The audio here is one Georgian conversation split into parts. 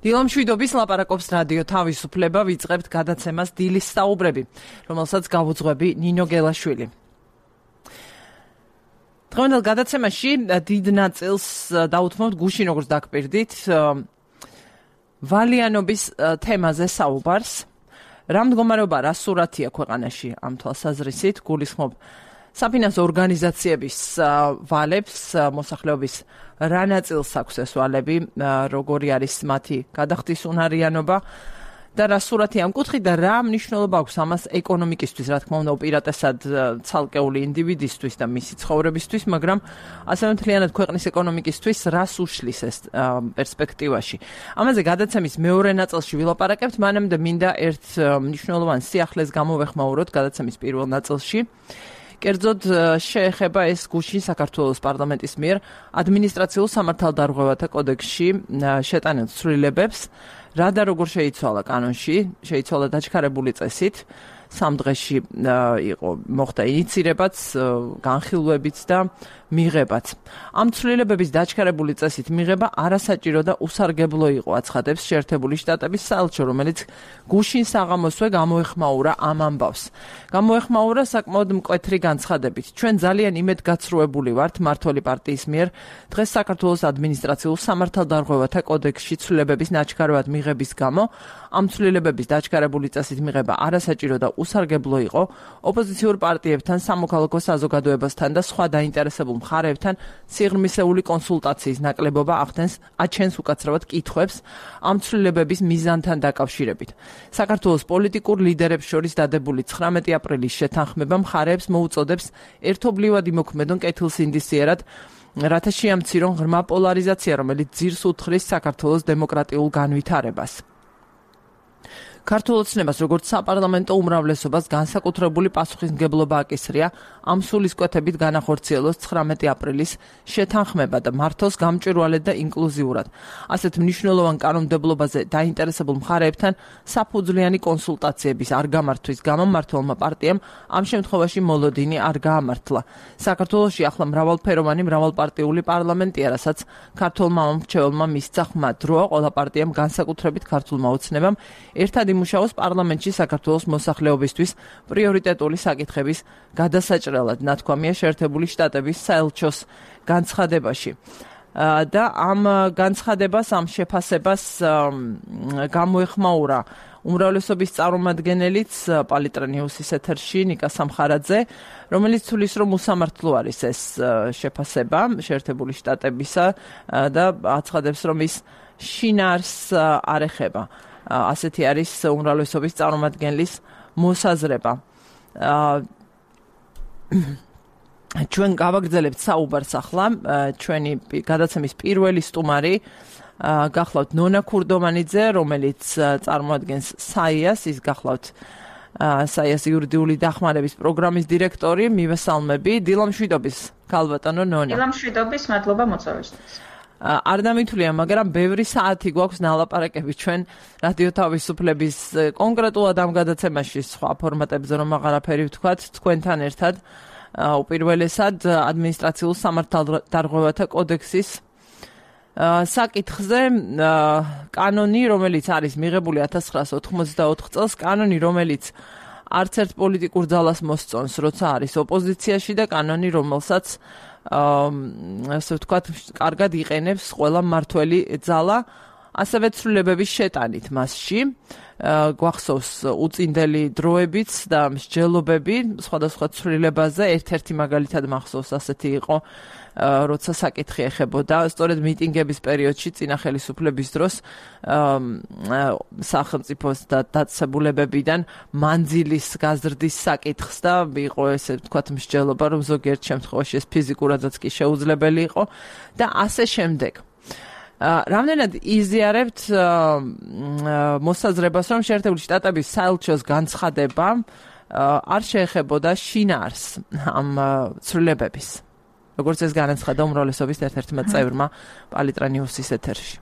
დილამშვიდობის ლაპარაკობს რადიო თავისუფლება, ვიწყებთ გადაცემას დილის საუბრები, რომელსაც გავუძღვები ნინო გელაშვილი. დღევანდელ გადაცემაში დიდ ნაწილს დავუთმობთ გუშინ როგორც დაგპირდით ვალიანობის თემაზე საუბარს. რა მდგომარეობა, რა სურათია ქვეყანაში ამ თვალსაზრისით, გულისხმობ საფინანსო ორგანიზაციების ვალებს, მოსახლეობის რა ნაწილს აქვს ეს ვალები, როგორი არის მათი გადახდის უნარიანობა და რა სურათი ამ კუთხით და რა მნიშვნელობა აქვს ამას ეკონომიკისთვის, რა თქმა უნდა, უპირატესად ცალკეული ინდივიდისთვის და მისი ცხოვრებისთვის, მაგრამ ასევე მთლიანად ქვეყნის ეკონომიკისთვის რას უშლის ეს პერსპექტივაში. ამაზე გადაცემის მეორე ნაწილში ვილაპარაკებთ, მანამდე მინდა ერთ მნიშვნელოვან სიახლეს გამოვეხმაუროთ გადაცემის პირველ ნაწილში. კერძოდ შეეხება ეს გუშინ საქართველოს პარლამენტის მიერ ადმინისტრაციულ სამართალდარღვევათა კოდექსში შეტანილ ცვლილებებს, რა და როგორ შეიცვალა კანონში, შეიცვალა დაჩქარებული წესით, 3 დღეში მოხდა ინიცირებაც, განხილვებიც და მიღებაც. ამ ცვლილებების დაჩქარებული წესით მიღება არასაჭირო და უსარგებლო იყო, აცხადებს შეერთებული შტატების საელჩო, რომელიც გუშინ საღამოსვე გამოეხმაურა ამ ამბავს. გამოეხმაურა საკმაოდ მკვეთრი განცხადებით. ჩვენ ძალიან იმედგაცრუებული ვართ მმართველი პარტიის მიერ დღეს საქართველოს ადმინისტრაციულ სამართალდარღვევათა კოდექსში ცვლილებების ნაჩქარად მიღების გამო. ამ ცვლილებების დაჩქარებული წესით მიღება არასაჭირო და უსარგებლო იყო ოპოზიციურ პარტიებთან, სამოქალაქო საზოგადოებასთან და სხვა დაინტერესებულ მხარეებთან სიღრმისეული კონსულტაციის ნაკლებობა აჩენს უკაცრავად კითხვებს ამ ცვლილებების მიზანთან დაკავშირებით. საქართველოს პოლიტიკურ ლიდერებს შორის დადებული 19 აპრილის შეთანხმება მხარეებს მოუწოდებს ერთობლივად იმოქმედონ კეთილსინდისიერად, რათა შეამცირონ ღრმა პოლარიზაცია, რომელიც ძირს უთხრის საქართველოს დემოკრატიულ განვითარებას. ქართულ ოცნებას, როგორც საპარლამენტო უმრავლესობას განსაკუთრებული პასუხისმგებლობა აკისრია ამ სულისკვეთებით განახორციელოს 19 აპრილის შეთანხმება და მართოს გამჭვირვალედ და ინკლუზიურად. ასეთ მნიშვნელოვან კანონმდებლობაზე დაინტერესებულ მხარეებთან საფუძვლიანი კონსულტაციების არ გამართვის გამო მმართველმა პარტიამ ამ შემთხვევაში მოლოდინი არ გაამართლა. საქართველოში ახლა მრავალფეროვანი, მრავალპარტიული პარლამენტია, რასაც ქართულმა მომრჩეველმა მისცა ხმა დროა ყველა პარტიამ განსაკუთრებით ქართულმა ოცნებამ ერთად იმუშაოს პარლამენტში საქართველოს მოსახლეობისთვის პრიორიტეტული საკითხების გადასაჭრელად, ნათქვამია შეერთებული შტატების საელჩოს განცხადებაში. და ამ განცხადებას, ამ შეფასებას გამოეხმაურა უმრავლესობის წარმომადგენელიც პალიტრა ნიუსის ეთერში ნიკა სამხარაძე, რომელიც თulis რომ უსამართლო არის ეს შეფასება შეერთებული შტატებისა და აცხადებს რომ ის შინაარს არ ეხება. ასეთი არის უმრავლესობის წარმომადგენლის მოსაზრება. ჩვენ გავაგრძელებთ საუბარს ახლა, ჩვენი გადაცემის პირველი სტუმარი გახლავთ ნონა ქურდომანიძე, რომელიც წარმოადგენს საიას, ის გახლავთ საიას იურიდიული დახმარების პროგრამის დირექტორი. მივესალმები, დილამშვიდობის ქალბატონო ნონა. დილამშვიდობის, მადლობა მოწვევისთვის. არ დამითვლია, მაგრამ ბევრი საათი გვაქვს ნალაპარაკები ჩვენ რადიო თავისუფლების კონკრეტულად ამ გადაცემაში, სხვა ფორმატებზე რომ აღარაფერი ვთქვათ, თქვენთან ერთად უპირველესად ადმინისტრაციულ სამართალდარღვევათა კოდექსის საკითხზე, კანონი, რომელიც არის მიღებული 1984 წელს, კანონი, რომელიც არც ერთ პოლიტიკურ ძალას მოსწონს, როცა არის ოპოზიციაში და კანონი, რომელსაც ასე ვთქვათ, კარგად იყენებს ყველა მმართველი ძალა, ასევე ცვლილებების შეტანით მასში. გვახსოვს უწინდელი დროებიც და მსჯელობები სხვადასხვა ცვლილებაზე, ერთ-ერთი მაგალითად მახსოვს ასეთი იყო, როცა საკითხი ეხებოდა სწორედ მიტინგების პერიოდში წინა ხელისუფლების დროს სახელმწიფოს და დაწესებულებებიდან მანძილის გაზრდის საკითხს და იყო ესე ვთქვათ მსჯელობა, რომ ზოგიერთ შემთხვევაში ეს ფიზიკურადაც კი შეუძლებელი იყო და ასე შემდეგ. რამდენად იზიარებთ მოსაზრებას, რომ შეერთებული შტატების საელჩოს განცხადება არ შეეხებოდა შინაარს ამ ცვლილებების, როგორც ეს განაცხადა უმრავლესობის ერთ-ერთმა წევრმა პალიტრა ნიუსის ეთერში.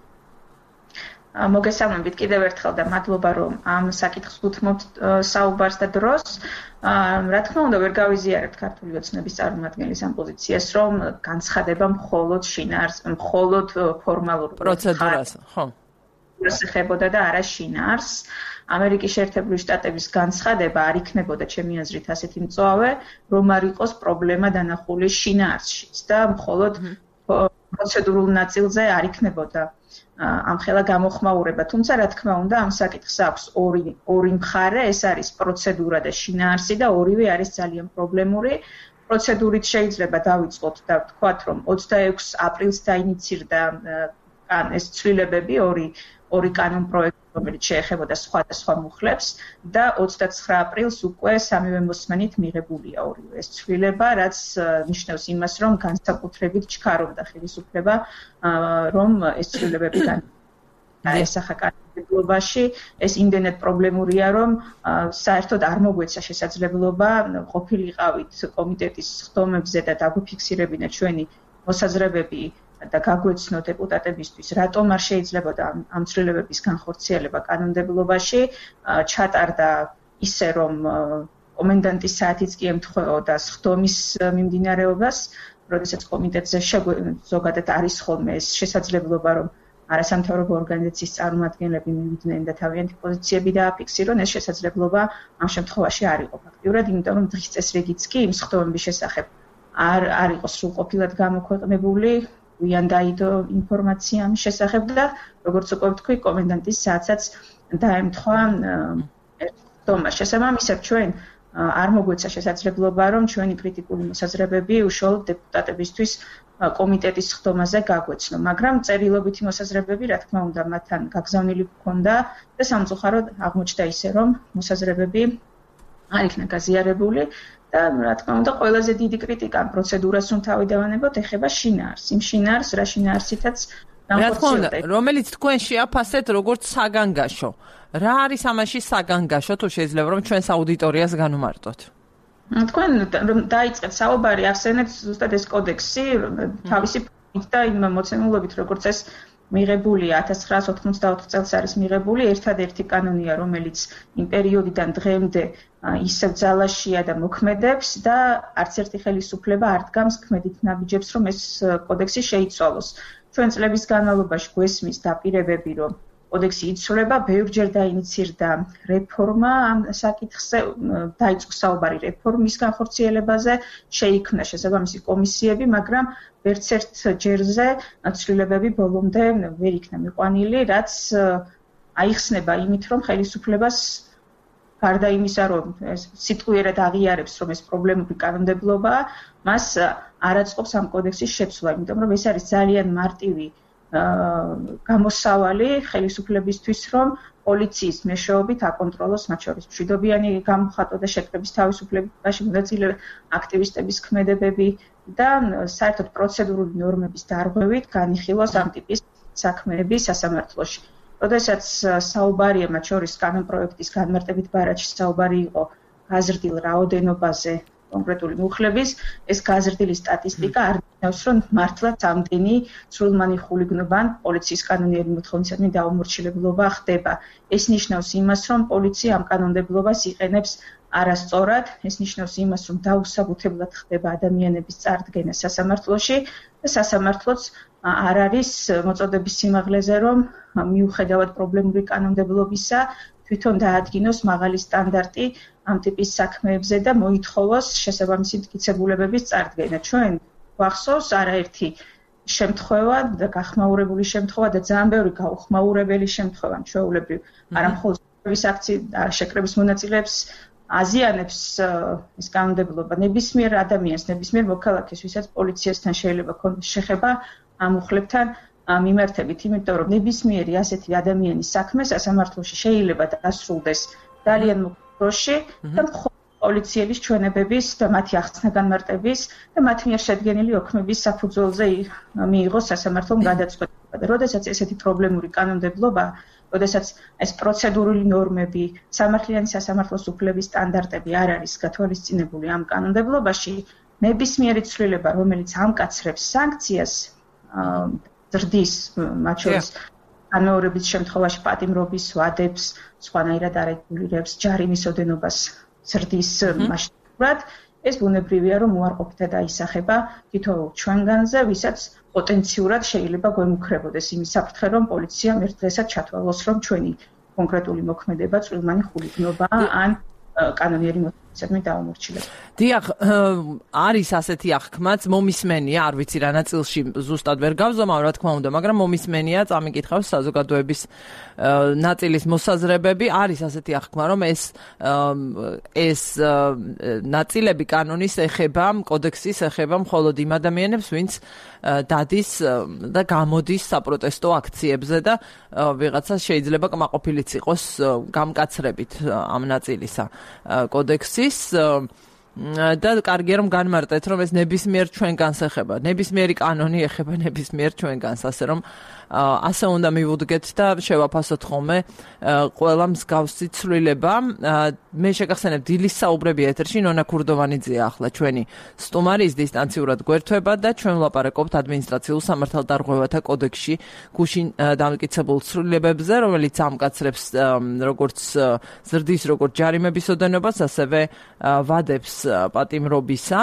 მოგესალმებით კიდევ ერთხელ და მადლობა რომ ამ საკითხს უთმობთ საუბარს და დროს. რა თქმა უნდა ვერ გავიზიარებთ ქართული ოცნების წარმომადგენლის ამ პოზიციას, რომ განცხადება მხოლოდ შინაარს, მხოლოდ ფორმალურ პროცედურას, ხო. პროცედურას ეხებოდა და არა შინაარსს. ამერიკის შეერთებული შტატების განცხადება არ იქნებოდა ჩემი აზრით ასეთი მწვავე, რომ არ იყოს პრობლემა დანახული შინაარსშიც და მხოლოდ პროცედურულ ნაწილზე არ იქნებოდა ამხელა გამოხმაურება. თუმცა რა თქმა უნდა ამ საკითხს აქვს ორი მხარე, ეს არის პროცედურა და შინაარსი და ორივე არის ძალიან პრობლემური. პროცედურით შეიძლება დავიწყოთ და ვთქვათ, რომ 26 აპრილს დაინიცირდა ეს ცვლილებები ორი კანონ პროექტი, რომელიც შეეხებოდა სხვადასხვა მუხლებს და 29 აპრილს უკვე სამივე მოსმენით მიღებულია ორივე ეს ცვლილება, რაც ნიშნავს იმას, რომ განსაკუთრებით ჩქარობდა ხელისუფლება, რომ ეს ცვლილებები დაესახა კანონმდებლობაში. ეს იმდენად პრობლემურია, რომ საერთოდ არ მოგვეცა შესაძლებლობა ყოფილიყავით კომიტეტის ხდომებზე და დაგვიფიქსირებინა ჩვენი მოსაზრებები და გაგვეცნო დეპუტატებისთვის, რატომ არ შეიძლებოდა ამ ცვლილებების განხორციელება კანონმდებლობაში, ჩატარდა ისე, რომ კომენდანტის საათიც კი ემთხვეოდა ხდომის მიმდინარეობას, როდესაც კომიტეტზე ზოგადად არის ხოლმე ეს შესაძლებლობა, რომ არასამთავრობო ორგანიზაციის წარმომადგენლები მივიდნენ და თავიანთი პოზიციები დააფიქსირონ, ეს შესაძლებლობა ამ შემთხვევაში არ იყო ფაქტიურად, იმიტომ რომ დღის წესრიგიც კი იმ ხდომების შესახებ არ იყო სრულყოფილად გამოქვეყნებული. ვიან დაიდო ინფორმაცია ამის შესახებ და როგორც უკვე ვთქვი, კომენდანტის საათსაც დაემთხვა ხდომა. შესაბამისად, ჩვენ არ მოგვეცა შესაძლებლობა, რომ ჩვენი კრიტიკული მოსაზრებები უშუალოდ დეპუტატებისთვის კომიტეტის ხდომაზე გაგვეცნო, მაგრამ წერილობითი მოსაზრებები, რა თქმა უნდა, მათთან გაგზავნილი ჰქონდა და სამწუხაროდ აღმოჩნდა ისე, რომ მოსაზრებები არ იქნა გაზიარებული. და რა თქმა უნდა ყველაზე დიდი κρიტიკა პროცედურას რომ თავი დავანებოთ ეხება შინაარსს. იმ შინაარსს რა შინაარსითაც განხორციელდა, რომელიც თქვენ შეაფასეთ როგორც საგანგაშო. რა არის ამაში საგანგაშო, თუ შეიძლება რომ ჩვენს აუდიტორიას განვმარტოთ? თქვენ რომ დაიწყეთ საუბარი, ახსენეთ ზუსტად ეს კოდექსი თავისი ფორმით და იმ მოცემულობით, როგორც ეს მიღებულია 1984 წელს არის მიღებული, ერთადერთი კანონია, რომელიც იმ პერიოდიდან დღემდე ისევ ძალაშია და მოქმედებს და არც ერთი ხელისუფლება არ დგამს ქმედით ნაბიჯებს, რომ ეს კოდექსი შეიცვალოს. ჩვენ წლების განმავლობაში გვესმის დაპირებები, რომ კოდექსი იცვლება, ბევრჯერ დაინიცირდა რეფორმა ამ საკითხზე, დაიწყო საუბარი რეფორმის განხორციელებაზე, შეიქმნა შესაბამისი კომისიები, მაგრამ ვერც ერთ ჯერზე ცვლილებები ბოლომდე ვერ იქნა მიყვანილი, რაც აიხსნება იმით, რომ ხელისუფლებას გარდა იმისა, რომ სიტყვიერად აღიარებს, რომ ეს პრობლემური კანონმდებლობაა, მას არ აწყობს ამ კოდექსის შეცვლა, იმიტომ რომ ეს არის ძალიან მარტივი გამოსავალი ხელისუფლებისთვის, რომ პოლიციის მეშვეობით აკონტროლოს მათ შორის მშვიდობიანი გამოხატვა და შეკრების თავისუფლებაში მონაწილე აქტივისტების ქმედებები და საერთოდ პროცედურული ნორმების დარღვევით განიხილოს ამ ტიპის საქმეები სასამართლოში. როდესაც საუბარია მათ შორის კანონპროექტის განმარტებით ბარათში საუბარი იყო გაზრდილ რაოდენობაზე კონკრეტული მუხლების, ეს გაზრდილი სტატისტიკა არ ნიშნავს, რომ მართლაც ამდენი სრულმანი ხულიგნობა ან პოლიციის კანონიერი მოთხოვნისადმი დაუმორჩილებლობა ხდება. ეს ნიშნავს იმას, რომ პოლიცია ამ კანონმდებლობას იყენებს არასწორად, ეს ნიშნავს იმას, რომ დაუსაბუთებლად ხდება ადამიანების წარდგენა სასამართლოში და სასამართლოც არ არის მოწოდების სიმაღლეზე, რომ მიუხედავად პრობლემური კანონმდებლობისა, თვითონ დაადგინოს მაღალი სტანდარტი ამ ტიპის საქმეებზე და მოითხოვოს შესაბამისი მტკიცებულებების წარდგენა. ჩვენ გვახსოვს არაერთი შემთხვევა და გახმაურებული შემთხვევა და ძალიან ბევრი გაუხმაურებელი შემთხვევა, ჩვეულებრივ, არა მხოლოდ შეკრების მონაწილეებს აზიანებს ეს კანონმდებლობა ნებისმიერ ადამიანს, ნებისმიერ მოქალაქეს, ვისაც პოლიციასთან შეიძლება ქონდეს შეხება ამ მუხლებთან მიმართებით, იმიტომ რომ ნებისმიერი ასეთი ადამიანის საქმე სასამართლოში შეიძლება დასრულდეს ძალიან მოკლე დროში და პოლიციელის ჩვენებების და მათი ახსნა განმარტების და მათ მიერ შედგენილი ოქმების საფუძველზე მიიღოს სასამართლომ გადაწყვეტილება. და როდესაც ესეთი პრობლემური კანონმდებლობა, როდესაც ეს პროცედურული ნორმები, სამართლიანი სასამართლოს უფლების სტანდარტები არ არის გათვალისწინებული ამ კანონმდებლობაში, ნებისმიერი ცვლილება, რომელიც ამკაცრებს სანქციას, ზრდის მათ შორის განმეორების შემთხვევაში პატიმრობის ვადებს, სხვანაირად არეგულირებს ჯარიმის ოდენობას ზრდის მასშტაბურად, ეს ბუნებრივია, რომ უარყოფითად აისახება თითოეულ ჩვენგანზე, ვისაც პოტენციურად შეიძლება გვემუქრებოდეს იმის საფრთხე, რომ პოლიციამ ერთ დღესაც ჩათვალოს, რომ ჩვენი კონკრეტული მოქმედება წვრილმანი ხულიგნობა ან კანონიერი მოტივაციით დაუმორჩილება. დიახ, არის ასეთი აღქმაც, მომისმენია, არ ვიცი რა ნაწილში ზუსტად ვერ გავზომავ, რა თქმა უნდა, მაგრამ მომისმენია, წამიკითხავს საზოგადოების ნაწილის მოსაზრებები, არის ასეთი აღქმა, რომ ეს ნაწილები კანონის ეხება, კოდექსის ეხება მხოლოდ იმ ადამიანებს, ვინც დადის და გამოდის საპროტესტო აქციებზე და ვიღაცა შეიძლება კმაყოფილიც იყოს გამკაცრებით ამ ნაწილისა კოდექსის და კარგია რომ განმარტეთ რომ ეს ნებისმიერ ჩვენგანს ეხება, ნებისმიერი კანონი ეხება ნებისმიერ ჩვენგანს, ასე რომ ასე უნდა მივუდგეთ და შევაფასოთ ხოლმე ყველა მსგავსი ცვლილება. მე შეგახსენებ დილის საუბრები ეთერში ნონა ქურდოვანიძეა ახლა ჩვენი სტუმარი, ის დისტანციურად გვერდება და ჩვენ ვლაპარაკობთ ადმინისტრაციულ სამართალდარღვევათა კოდექსში გუშინ დამტკიცებულ ცვლილებებზე, რომელიც ამკაცრებს როგორც ზრდის, როგორც ჯარიმების ოდენობას, ასევე ვადებს პატიმრობისა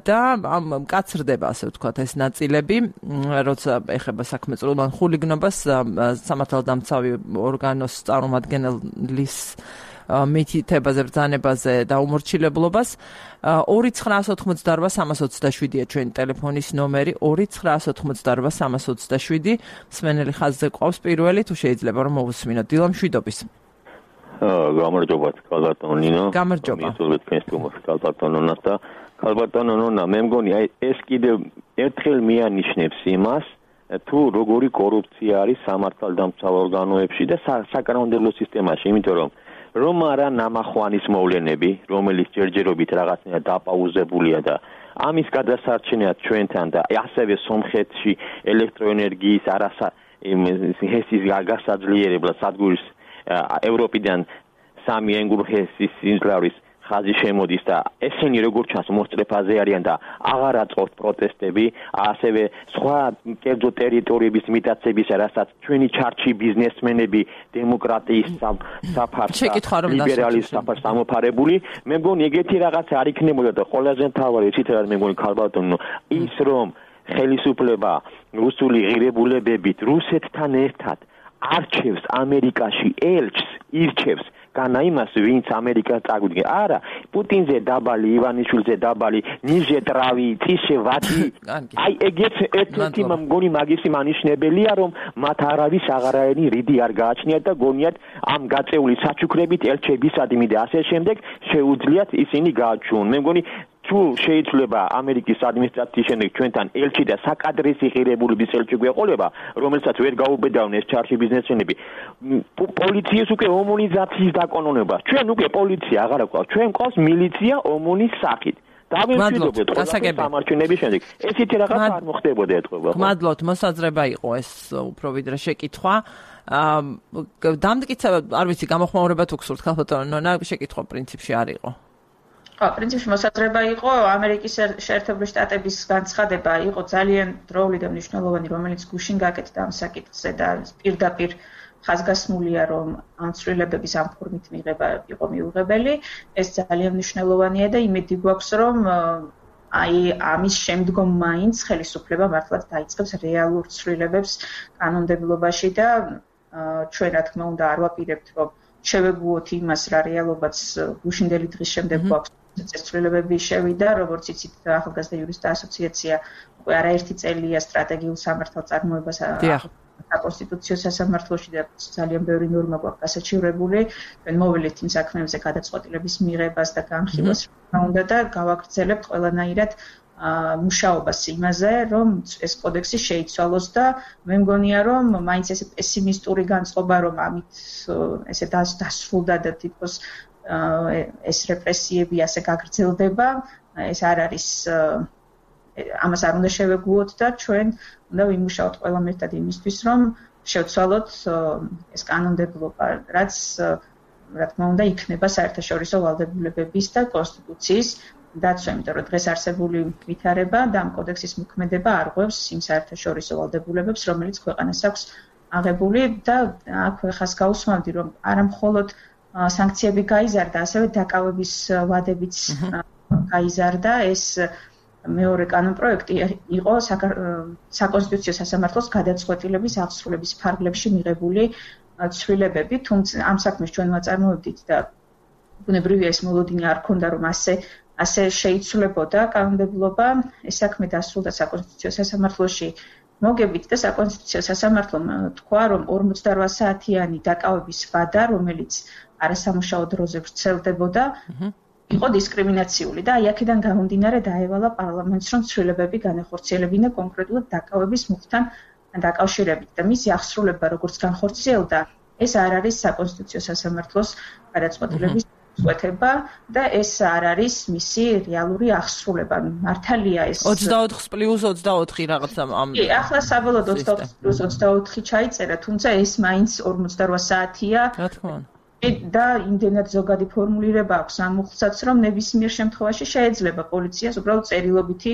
და მკაცრდება, ასე ვთქვათ, ეს ნაწილები, როცა ეხება საქმე წვრილმან ხულიგნობას სამართალდამცავი ორგანოს წარმომადგენლის მითითებაზე, ბრძანებაზე და უმორჩილებლობას. 2988327-ია ჩვენი ტელეფონის ნომერი, 2988327. მსმენელი ხაზზე ყავს პირველი, თუ შეიძლება რომ მოვუსმინოთ. დილა მშვიდობის. გამარჯობა, ქალბატონო ნინო. გამარჯობა. მისურვებთ თქვენს სტუმარს, ქალბატონონას და ქალბატონო ნონა, მე მგონი ეს კიდევ ერთხელ მიანიშნებს იმას, თუ როგორი კორუფცია არის სამართალდამცავ ორგანოებში და საკანონმდებლო სისტემაში, იმიტომ რომ არა ნამახვანის მოვლენები, რომელიც ჯერჯერობით რაღაცნაირად დაპაუზებულია და ამის გადასარჩენად ჩვენთან და ასევე სომხეთში ელექტროენერგიის ჰესის გასაძლიერებლად სადგურის ევროპიდან 3 ენგურჰესის სიმძლავრის ხაზი შემოდის და ესენი როგორც ჩანს მოსწრეფაზე არიან და აღარ აწყობთ პროტესტები, ასევე სხვა კერძო ტერიტორიების მიტაცების, რასაც ჩვენი ჩარჩი ბიზნესმენები დემოკრატიის საფარს ლიბერალის საფარს ამოფარებული, მე მგონი ეგეთი რაღაც არ იქნებოდა და ყველაზე მთავარი ისიც არის მე მგონი ქალბატონო, ის რომ ხელისუფლება რუსული ღირებულებებით რუსეთთან ერთად არჩევს ამერიკაში ელჩს, ირჩევს განა იმას, ვინც ამერიკას წაგვიდგა. არა, პუტინზე დაბალი, ივანიშვილზე დაბალი, ნიჟე ტრავი, წიშე ვადი. აი ეგეც ერთ-ერთი მგონი მაგისი მანიშნებელია, რომ მათ არავის აღარაენი რიდი არ გააჩნიათ და გონიათ ამ გაწეული საჩუქრებით ელჩებისადმი და ასე შემდეგ შეუძლიათ ისინი გააჩვიონ. მე მგონი თუ შეიძლება ამერიკის ადმინისტრაციის შემდეგ ჩვენთან ელჩი და საკადრესი ღირებულების ელჩი გვეყოლება, რომელსაც ვერ გაუბედავენ ეს ჩარჩი ბიზნესმენები, პოლიციის უკვე ომონიზაციის დაკონონება. ჩვენ უკვე პოლიცია აღარ გვყავს, ჩვენ გვყავს მილიცია ომონის სახით. დავემშვიდობთ ყველა სამარჩევნების შემდეგ. ესეთი რაღაც არ მოხდებოდა ეთქობა. გმადლობთ, მოსაზრება იყო ეს უფრო ვიდრე შეკითხვა. დამტკიცა, არ ვიცი, გამოხმაურება თუ გსურთ ქალბატონო ნონა, შეკითხვა პრინციპში არ იყო. პრინციპში მოსაზრება იყო, ამერიკის შეერთებული შტატების განცხადება იყო ძალიან დროული და მნიშვნელოვანი, რომელიც გუშინ გაკეთდა ამ საკითხზე და პირდაპირ ხაზგასმულია, რომ ამ ცვლილებების ამ ფორმით მიღება იყო მიუღებელი. ეს ძალიან მნიშვნელოვანია და იმედი გვაქვს, რომ აი ამის შემდგომ მაინც ხელისუფლება მართლაც დაიწყებს რეალურ ცვლილებებს კანონმდებლობაში და ჩვენ რა თქმა უნდა არ ვაპირებთ, რომ შევეგუოთ იმას, რა რეალობაც გუშინდელი დღის შემდეგ გვაქვს. ცვლილებები შევიდა, როგორც იცით, ახალგაზრდა იურისტთა ასოციაცია უკვე არაერთი წელია სტრატეგიულ სამართალწარმოებას საკონსტიტუციო სასამართლოში და ძალიან ბევრი ნორმა გვაქვს გასაჩივრებული. ჩვენ მოვილეთ იმ საქმეებზე გადაწყვეტილების მიღებას და განხილვას უნდა და გავაგრძელებთ ყველანაირად მუშაობას იმაზე, რომ ეს კოდექსი შეიცვალოს და მე მგონია, რომ მაინც ესე პესიმისტური განწყობა, რომ ამით ესე დასრულდა და თითქოს ეს რეპრესიები ასე გაგრძელდება, ეს არ არის, ამას არ უნდა შევეგუოთ და ჩვენ უნდა ვიმუშაოთ ყველამ ერთად იმისთვის, რომ შევცვალოთ ეს კანონმდებლობა, რაც რა თქმა უნდა იქნება საერთაშორისო ვალდებულებების და კონსტიტუციის დაცვა, იმიტომ რომ დღეს არსებული ვითარება და ამ კოდექსის მოქმედება არღვევს იმ საერთაშორისო ვალდებულებებს, რომელიც ქვეყანას აქვს აღებული და აქვე ხას გაუსმავდი, რომ არა მხოლოდ სანქციები გაიზარდა, ასევე დაკავების ვადებიც გაიზარდა ეს მეორე კანონპროექტი იყო საკონსტიტუციო სასამართლოს გადაწყვეტილების აღსრულების ფარგლებში მიღებული ცვლილებები, თუმცა ამ საქმეს ჩვენ ვაწარმოებდით და ბუნებრივია ეს მოლოდინი არ ქონდა რომ ასე შეიცვლებოდა კანონმდებლობა, ეს საქმე დასრულდა საკონსტიტუციო სასამართლოში მოგებით და საკონსტიტუციო სასამართლომ თქვა რომ 48 საათიანი დაკავების ვადა, რომელიც არასამუშაო დროზე ვრცელდებოდა, იყო დისკრიმინაციული და აი აქედან გამომდინარე დაევალა პარლამენტს რომ ცვლილებები განახორციელებინა კონკრეტულად დაკავების მუხტთან დაკავშირებით და მისი აღსრულება როგორც განხორციელდა, ეს არ არის საკონსტიტუციო სასამართლოს გადაწყვეტილების წვეთება და ეს არ არის მისი რეალური აღსრულება. მართალია ეს 24+24 რაღაცა ამ. კი, ახლა საბოლოოდ 24+24 ჩაიწერა, თუმცა ეს მაინც 48 საათია. რა თქმა უნდა. და იმდენად ზოგადი ფორმულირება აქვს ამ მუხლსაც, რომ ნებისმიერ შემთხვევაში შეიძლება პოლიციას უბრალოდ წერილობითი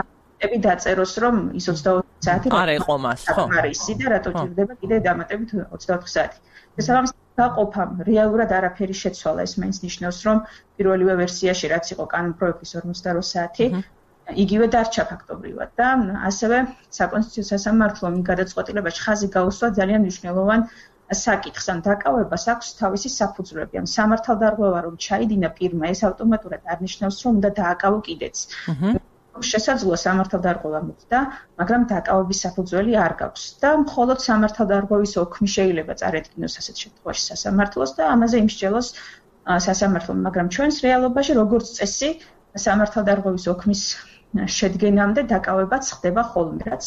აკტები დაწეროს, რომ ის 24 საათი არ ეყო მას, ხო? არის და რატო ჭირდება კიდე დამატებით 24 საათი. შესაბამისად გაყოფამ რეალურად არაფერი შეცვალა, ეს მაინც ნიშნავს, რომ პირველივე ვერსიაში რაც იყო კანონპროექტის 48 საათი, იგივე დარჩა ფაქტობრივად და ასევე საკონსტიტუციო სასამართლომ გადაწყვეტილებაში ხაზი გაუსვა ძალიან მნიშვნელოვან საკითხს, ან დაკავებას აქვს თავისი საფუძვლები, ან სამართალდარღვევა რომ ჩაიდინა პირმა, ეს ავტომატურად არ ნიშნავს, რომ უნდა დააკავო კიდეც. შესაძლოა სამართალდარღვევა მოხდა, მაგრამ დაკავების საფუძველი არ გაქვს და მხოლოდ სამართალდარღვევის ოქმი შეიძლება წარედგინოს ასეთ შემთხვევაში სასამართლოს და ამაზე იმსჯელოს სასამართლომ, მაგრამ ჩვენს რეალობაში როგორც წესი სამართალდარღვევის ოქმის შედგენამდე დაკავებაც ხდება ხოლმე, რაც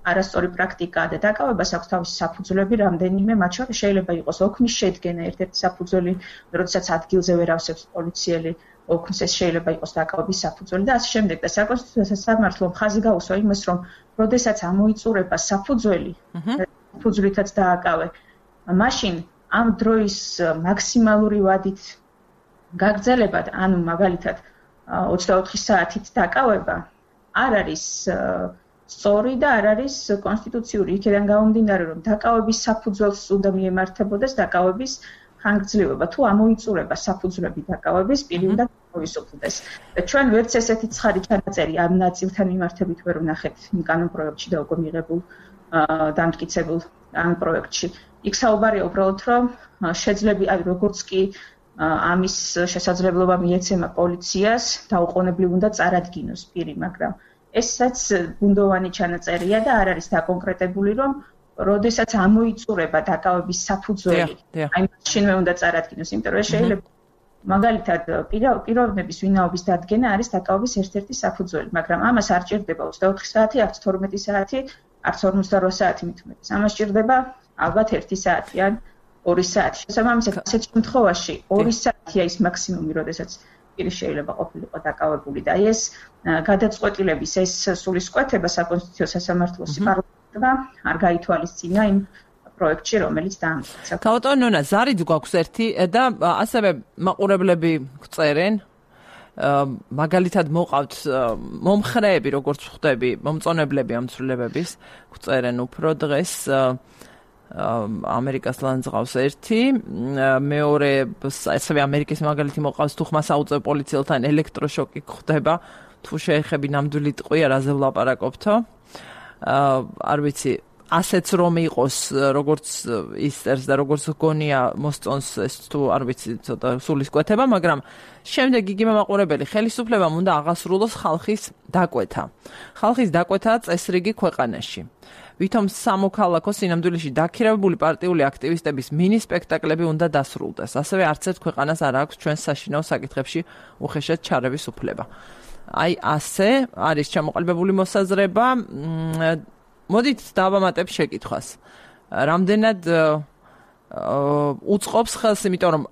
არასწორი პრაქტიკაა და დაკავებას აქვს თავისი საფუძვლები რამდენიმე, მათ შორის შეიძლება იყოს ოქმის შედგენა, ერთ-ერთი საფუძველი, როდესაც ადგილზე ვერ ავსებს პოლიციელი ოქმს, ეს შეიძლება იყოს დაკავების საფუძველი და ასე შემდეგ. და საკონსტიტუციო სასამართლომ ხაზი გაუსვა იმას, რომ როდესაც ამოიწურება საფუძველი, საფუძვლითაც დააკავე, მაშინ ამ დროის მაქსიმალური ვადით გაგრძელებად, ანუ მაგალითად 24 საათით დაკავება არ არის სწორი და არ არის კონსტიტუციური. იქიდან გამომდინარე, რომ დაკავების საფუძველს უნდა მიემართებოდეს დაკავების ხანგრძლივობა. თუ ამოიწურება საფუძვლები დაკავების, პირი უნდა გავისუფლდეს. და ჩვენ ვერც ესეთი ცხადი ჩანაწერი ამ ნაწილთან მიმართებით ვერ ვნახეთ იმ კანონპროექტში და უკვე მიღებულ დამტკიცებულ ამ პროექტში. იქ საუბარია უბრალოდ, რომ შეძლები, აი როგორც კი ამის შესაძლებლობა მიეცემა პოლიციას, დაუყოვნებლივ უნდა წარადგინოს პირი, მაგრამ ესაც ბუნდოვანი ჩანაწერია და არ არის დაკონკრეტებული, რომ როდესაც ამოიწურება დაკავების საფუძველი, აი მაშინვე უნდა წარადგინოს, იმიტომ რომ შეიძლება მაგალითად პიროვნების ვინაობის დადგენა არის დაკავების ერთ-ერთი საფუძველი, მაგრამ ამას არ ჭირდება 24 საათი, არც 12 საათი, არც 48 საათი მით უმეტეს. ამას ჭირდება ალბათ 1 საათი ან 2 საათი. შესაბამისად, ასეთ შემთხვევაში 2 საათია ის მაქსიმუმი, როდესაც პირი შეიძლება ყოფილიყო დაკავებული და ეს გადაწყვეტილების ეს სულისკვეთება საკონსტიტუციო სასამართლოს პარლამენტმა არ გაითვალისწინა იმ პროექტში, რომელიც დაამტკიცა. ბატონო ნონა, ზარიც გვაქვს ერთი და ასევე მაყურებლები გწერენ, მაგალითად მოყავთ მომხრეები, როგორც ხვდები, მომწონებლები ამ ცვლილებების, გწერენ უფრო დღეს ამერიკას ლანძღავს ერთი, მეორე ასევე ამერიკის მაგალითი მოყავს, თუ ხმას აუწევ პოლიციელთან ელექტროშოკი ხდება, თუ შეეხები ნამდვილი ტყვია, რაზე ვლაპარაკობთო. არ ვიცი, ასეც რომ იყოს, როგორც ისტერს და როგორც გონია მოსწონს ეს თუ არ ვიცი, ცოტა სულისკვეთება, მაგრამ შემდეგ იგივე მაყურებელი ხელისუფლებამ უნდა აღასრულოს ხალხის დაკვეთა. ხალხის დაკვეთა წესრიგი ქვეყანაში. ვითომ სამოქალაქო სინამდვილეში დაქირავებული პარტიული აქტივისტების მინი სპექტაკლები უნდა დასრულდეს. ასევე არც ერთ ქვეყანას არ აქვს ჩვენს საშინაო საკითხებში უხეშად ჩარევის უფლება. აი ასე არის ჩამოყალიბებული მოსაზრება. მოდით დავამატებ შეკითხვას. რამდენად უწყობს ხელს, იმიტომ რომ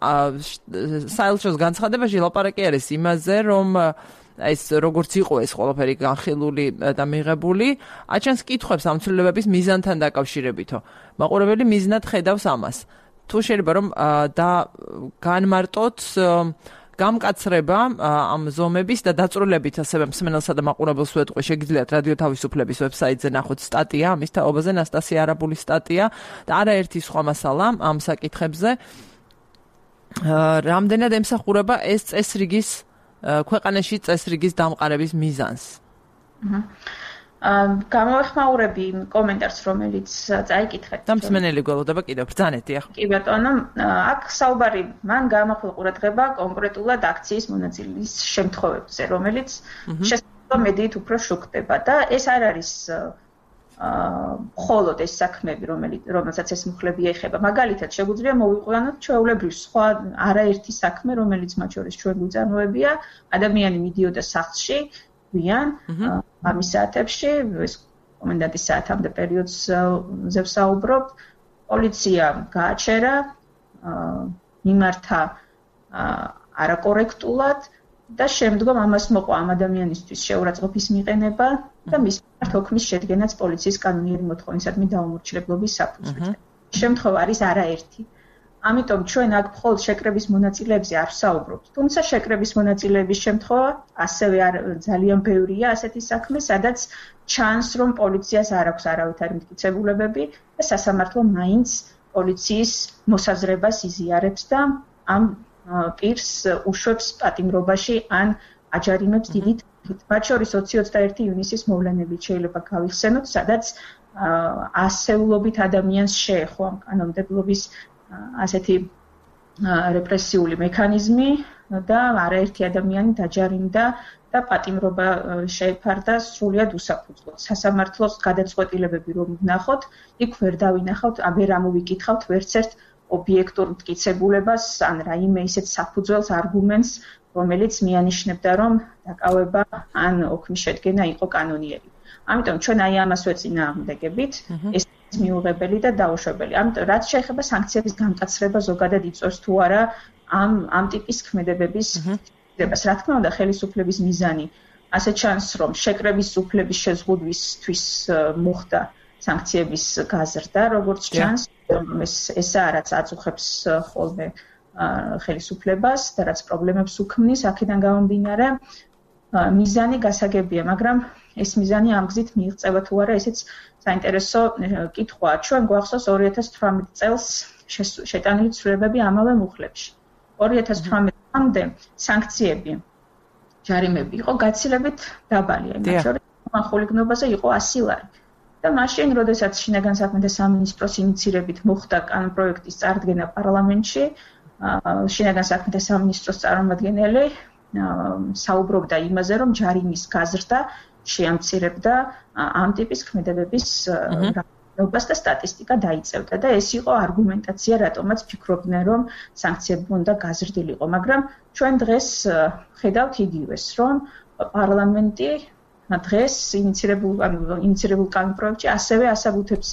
საელჩოს განცხადებაში ლაპარაკი არის იმაზე, რომ ეს როგორც იყო ეს ყველაფერი განხილული და მიღებული, აჩენს კითხვებს ამ ცვლილებების მიზანთან დაკავშირებითო. მაყურებელი მიზნად ხედავს ამას. თუ შეიძლება რომ განმარტოთ გამკაცრება ამ ზომების და დაწვრილებით ასევე მსმენელსა და მაყურებელს ვეტყვი, შეგიძლიათ რადიო თავისუფლების ვებსაიტზე ნახოთ სტატია ამის თაობაზე, ნასტასია არაბულის სტატია და არაერთი სხვა მასალა ამ საკითხებზე. რამდენად ემსახურება ეს წესრიგის ქვეყანაში წესრიგის დამყარების მიზანს? გამოვეხმაურები კომენტარს, რომელიც წაიკითხეთ. და მსმენელი გველოდება კიდევ ბრძანეთ, დიახ. კი ბატონო, აქ საუბარი მან გაამახვილა ყურადღება კონკრეტულად აქციის მონაწილეობის შემთხვევებზე, რომელიც შესაძლოა მედიით უფრო შუქდება და ეს არ არის მხოლოდ ეს საქმეები, რომელსაც ეს მუხლები ეხება. მაგალითად, შეგვიძლია მოვიყვანოთ ჩვეულებრივ სხვა არაერთი საქმე, რომელიც მათ შორის ჩვენ გვიწარმოებია, ადამიანი მიდიოდა სახლში ვიან ამის საათებში, ეს კომენდანტის საათამდე პერიოდზე ვსაუბრობ, პოლიცია გააჩერა, მიმართა არაკორექტულად და შემდგომ ამას მოყვა ამ ადამიანისთვის შეურაცხყოფის მიყენება და მის მიმართ ოქმის შედგენაც პოლიციის კანონიერი მოთხოვნისადმი დაუმორჩილებლობის საფუძვლით. შემთხვევა არის არაერთი. ამიტომ ჩვენ აქ მხოლოდ შეკრების მონაწილეებზე არ ვსაუბრობთ. თუმცა შეკრების მონაწილეების შემთხვევა ასევე ძალიან ბევრია ასეთი საქმე, სადაც ჩანს, რომ პოლიციას არ აქვს არავითარი მტკიცებულებები და სასამართლო მაინც პოლიციის მოსაზრებას იზიარებს და ამ პირს უშვებს პატიმრობაში ან აჯარიმებს დიდი თანხით. მათ შორის 20-21 ივნისის მოვლენებით შეიძლება გავიხსენოთ, სადაც ასეულობით ადამიანს შეეხო ამ კანონმდებლობის ასეთი რეპრესიული მექანიზმი და არაერთი ადამიანი დაჯარიმდა და პატიმრობა შეეფარდა სრულიად უსაფუძვლოდ. სასამართლოს გადაწყვეტილებები რომ ვნახოთ, იქ ვერ დავინახავთ, ვერ ამოვიკითხავთ ვერცერთ ობიექტურ მტკიცებულებას ან რაიმე ისეთ საფუძველს არგუმენტს, რომელიც მიანიშნებდა, რომ დაკავება ან ოქმის შედგენა იყო კანონიერი. ამიტომ ჩვენ აი ამას ვეწინააღმდეგებით, ეს მიუღებელი და დაუშვებელი. ამიტომ რაც შეეხება სანქციების გამტაცრება ზოგადად იწვევს თუ არა ამ ტიპის ქმედებების ხდებას. რა თქმა უნდა, ხელისუფლების მიზანი ასე ჩანს, რომ შეკრების უფლების შეზღუდვისთვის მოხდა სანქციების გაზრდა, როგორც ჩანს, ესაა რაც აწუხებს ხოლმე ხელისუფლებას და რაც პრობლემებს უქმნის, აქედან გამომდინარე მიზანი გასაგებია, მაგრამ ეს მიზანი ამ გზით მიიღწევა თუ არა, ესეც საინტერესო კითხვაა. ჩვენ გვახსოვს 2018 წელს შეტანილი ცვლილებები ამავე მუხლებში. 2018-მდე სანქციები, ჯარიმები იყო გაცილებით დაბალი, მათ შორის ხულიგნობაზე იყო 100 ლარი. და მაშინ, როდესაც შინაგან საქმეთა სამინისტროს ინიცირებით მოხდა კანონპროექტის წარდგენა პარლამენტში, შინაგან საქმეთა სამინისტროს წარმომადგენელი საუბრობდა იმაზე, რომ ჯარიმის გაზრდა შეამცირებდა ამ ტიპის ქმედებების რაოდენობას და სტატისტიკა დაიწევდა და ეს იყო არგუმენტაცია, რატომაც ფიქრობდნენ, რომ სანქციები უნდა გაზრდილიყო, მაგრამ ჩვენ დღეს ხედავთ იგივეს, რომ პარლამენტი დღეს ინიცირებულ კანონპროექტში ასევე ასაბუთებს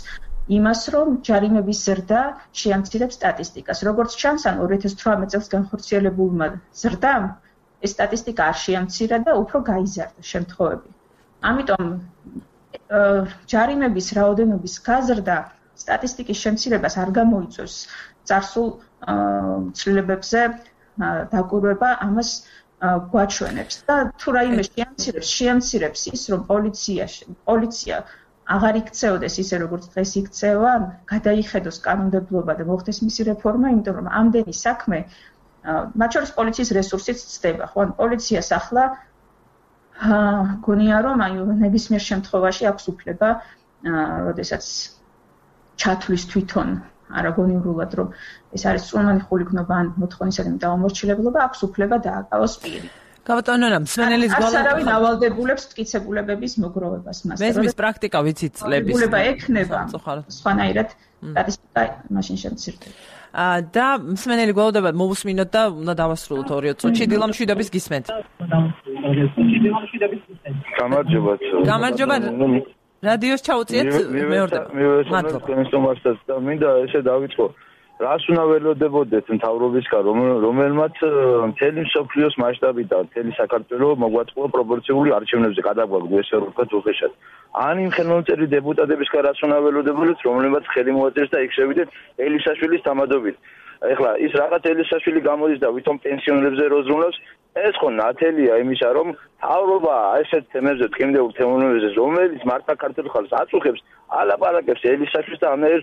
იმას, რომ ჯარიმების ზრდა შეამცირებს სტატისტიკას. როგორც ჩანს, ან 2018 წელს განხორციელებულმა ზრდამ ეს სტატისტიკა არ შეამცირა და უფრო გაიზარდა შემთხვევები. ამიტომ ჯარიმების რაოდენობის გაზრდა სტატისტიკის შემცირებას არ გამოიწვევს წარსულ ცვლილებებზე დაკვირვება, ამას გვაჩვენებს და თუ რაიმე შეამცირებს ის, რომ პოლიცია აღარ იქცეოდეს ისე, როგორც დღეს იქცევა, გადაიხედოს კანონმდებლობა და მოხდეს მისი რეფორმა, იმიტომ რომ ამდენი საქმე მათ შორის პოლიციის რესურსიც ცდება, ხო? ან პოლიციას ახლა გონია რომ აი ნებისმიერ შემთხვევაში აქვს უფლება, როდესაც ჩათვლის თვითონ არაგონიურულად, რომ ეს არის წვიმიანი ხულიგნობა ან მოთხოვნისადმი დაუმორჩილებლობა, აქვს უფლება დააკავოს პირი. გაბატონო, მსმენელის გვალავ არავინ ავალდებულებს მტკიცებულებების მოგროვებას მას. მესმის პრაქტიკა ვიცით წლების. უფლება ექნება სხვანაირად სტატისტიკა მაშინ შემცირდება. და მსმენელი გვალავდება მოусმინოთ და უნდა დავასრულოთ 2 წუთში დილამშვიდობის გისმენთ. გამარჯობა. რადიოს ჩაუწიეთ მეორდება. მადლობა. მინდა ესე დავიწყო. რას უნდა ველოდებოდეთ მთავრობისგან, რომელმაც მთელი მსოფლიოს მასშტაბით და მთელი საქართველოს მოგვაწყო პროპორციული არჩევნებზე გადაგვაგდო ესე რომ ვთქვათ უხეშად. ან იმ ხელმომწერი დეპუტატებისგან რას უნდა ველოდებოდეთ, რომელმაც ხელი მოაწერს და იქ შევიდეთ ელისაშვილის თამადობით. ეხლა ის რაღაც ელისაშვილი გამოდის და ვითომ პენსიონერებზე როზრუნავს, ეს ხო ნათელია იმისა, რომ თავრობა ესეთ თემებზე, ტკივილ თემებზე, რომელიც მართა ქართულ ხალხს აწუხებს, ალაპარაკებს ელისაშვილს და ამერ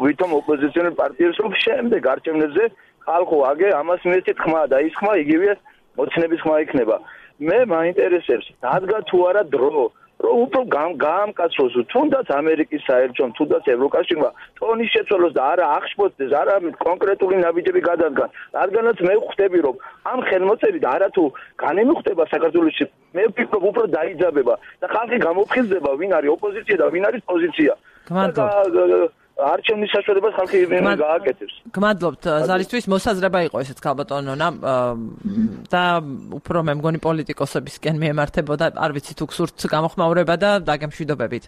ვითომ ოპოზიციონერ პარტიებს, რომ შემდეგ არჩევნებზე ხალხო აგე ამას მიეცეთ ხმა და ის ხმა იგივეა მოცნების ხმა იქნება. მე მაინტერესებს, დადგა თუ არა დრო, რომ უფრო გაამკაცროს თუნდაც ამერიკის საელჩომ, თუნდაც ევროკავშირმა ტონის შეცვალოს და არა აღშფოთდეს, არა კონკრეტული ნაბიჯები გადადგან. რადგანაც მე ვხვდები, რომ ამ ხელმოწერით არა თუ განემუხტება საქართველოში, მე ვფიქრობ უფრო დაიძაბება და ხალხი გამოფხიზდება, ვინ არის ოპოზიცია და ვინ არის პოზიცია. არჩევნის საშუალებას ხალხი გააკეთებს. გმადლობთ ზარისთვის, მოსაზრება იყო ესეც ქალბატონონა და უფრო მე მგონი პოლიტიკოსებისკენ მიემართებოდა, არ ვიცი თუ გსურთ გამოხმაურება და დაგემშვიდობებით.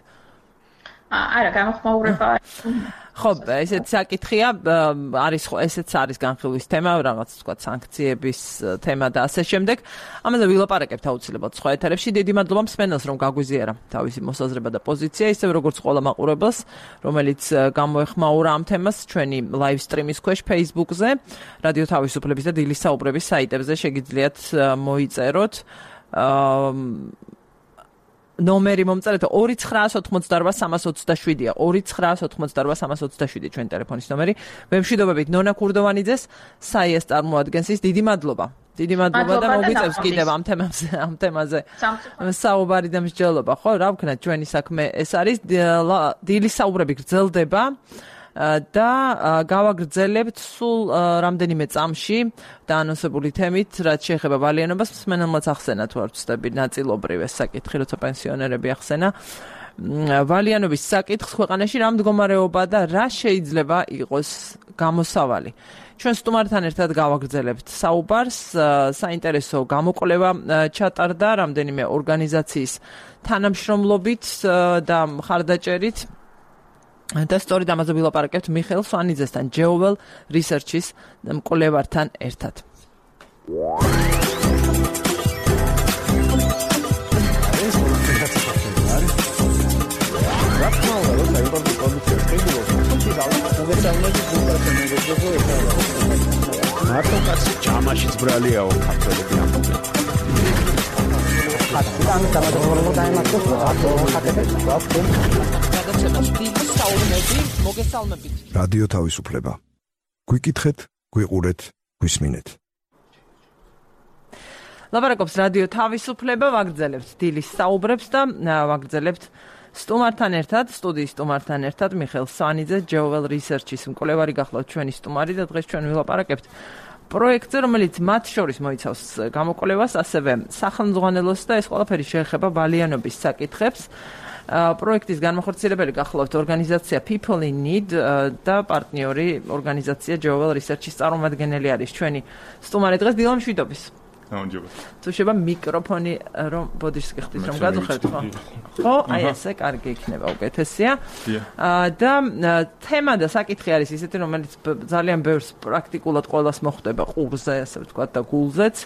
არა, გამოხმაურება. ხო, ესეც საკითხია, ესეც არის განხილვის თემა, რაღაც თქვა სანქციების თემა და ასე შემდეგ. ამაზე ვილაპარაკებთ აუცილებლად სხვა ეთერებში. დიდი მადლობა მსმენელს, რომ გაგვიზიარა თავისი მოსაზრება და პოზიცია, ისევ როგორც ყველა მაყურებელს, რომელიც გამოეხმაურა ამ თემას ჩვენი live stream-ის ქვეშ Facebook-ზე, რადიო თავისუფლების და დილის საუბრების საიტებზე შეგიძლიათ მოიწეროთ. ნომერი მომწერეთ 2988327-ია 2988327 ჩვენი ტელეფონის ნომერი. ვემშვიდობებით ნონა ქურდოვანიძეს, საიეს წარმოადგენს ის. დიდი მადლობა და მოგვიწევს კიდევ ამ თემაზე საუბარი და მსჯელობა. ხო, რა ვქნათ, ჩვენი საქმე ეს არის. დილის საუბრები გრძელდება და გავაგრძელებთ სულ რამდენიმე წამში დაანონსებული თემით, რაც შეეხება ვალიანობას. მსმენელმაც ახსენა თუ არ ვცდები ნაწილობრივ ეს საკითხი, როცა პენსიონერები ახსენა ვალიანობის საკითხს ქვეყანაში რა მდგომარეობა და რა შეიძლება იყოს გამოსავალი. ჩვენ სტუმართან ერთად გავაგრძელებთ საუბარს. საინტერესო გამოკვლევა ჩატარდა რამდენიმე ორგანიზაციის თანამშრომლობით და მხარდაჭერით. და სწორედ ამაზე ვილაპარაკებთ მიხეილ სვანიძესთან, Jewel Research-ის მკვლევართან ერთად. მარტო კაცი ჯამაშიც ბრალიაო ქართველები ამბობენ. რადიო თავისუფლება. გვიკითხეთ, გვიყურეთ, გვისმინეთ. ლაპარაკობს რადიო თავისუფლება, ვაგრძელებთ დილის საუბრებს და ვაგრძელებთ სტუმართან ერთად, სტუდიის სტუმართან ერთად მიხეილ სვანიძე, Jewel Research-ის მკვლევარი გახლავთ ჩვენი სტუმარი და დღეს ჩვენ ვილაპარაკებთ პროექტზე, რომელიც მათ შორის მოიცავს გამოკვლევას, ასევე სახელმძღვანელოს და ეს ყველაფერი შეეხება ვალიანობის საკითხებს. პროექტის განმახორციელებელი გახლავთ ორგანიზაცია People in Need და პარტნიორი ორგანიზაცია Jewel Research-ის წარმომადგენელი არის ჩვენი სტუმარი დღეს. დილა მშვიდობის. თუ შეიძლება მიკროფონი რომ ბოდიშს გიხდით რომ გაძახეთ, ხო? აი ესე კარგი იქნება, უკეთესია. და თემა და საკითხი არის ისეთი, რომელიც ძალიან ბევრს პრაქტიკულად ყოველას მოხვდება ყურზე, ასე ვთქვათ, და გულზეც.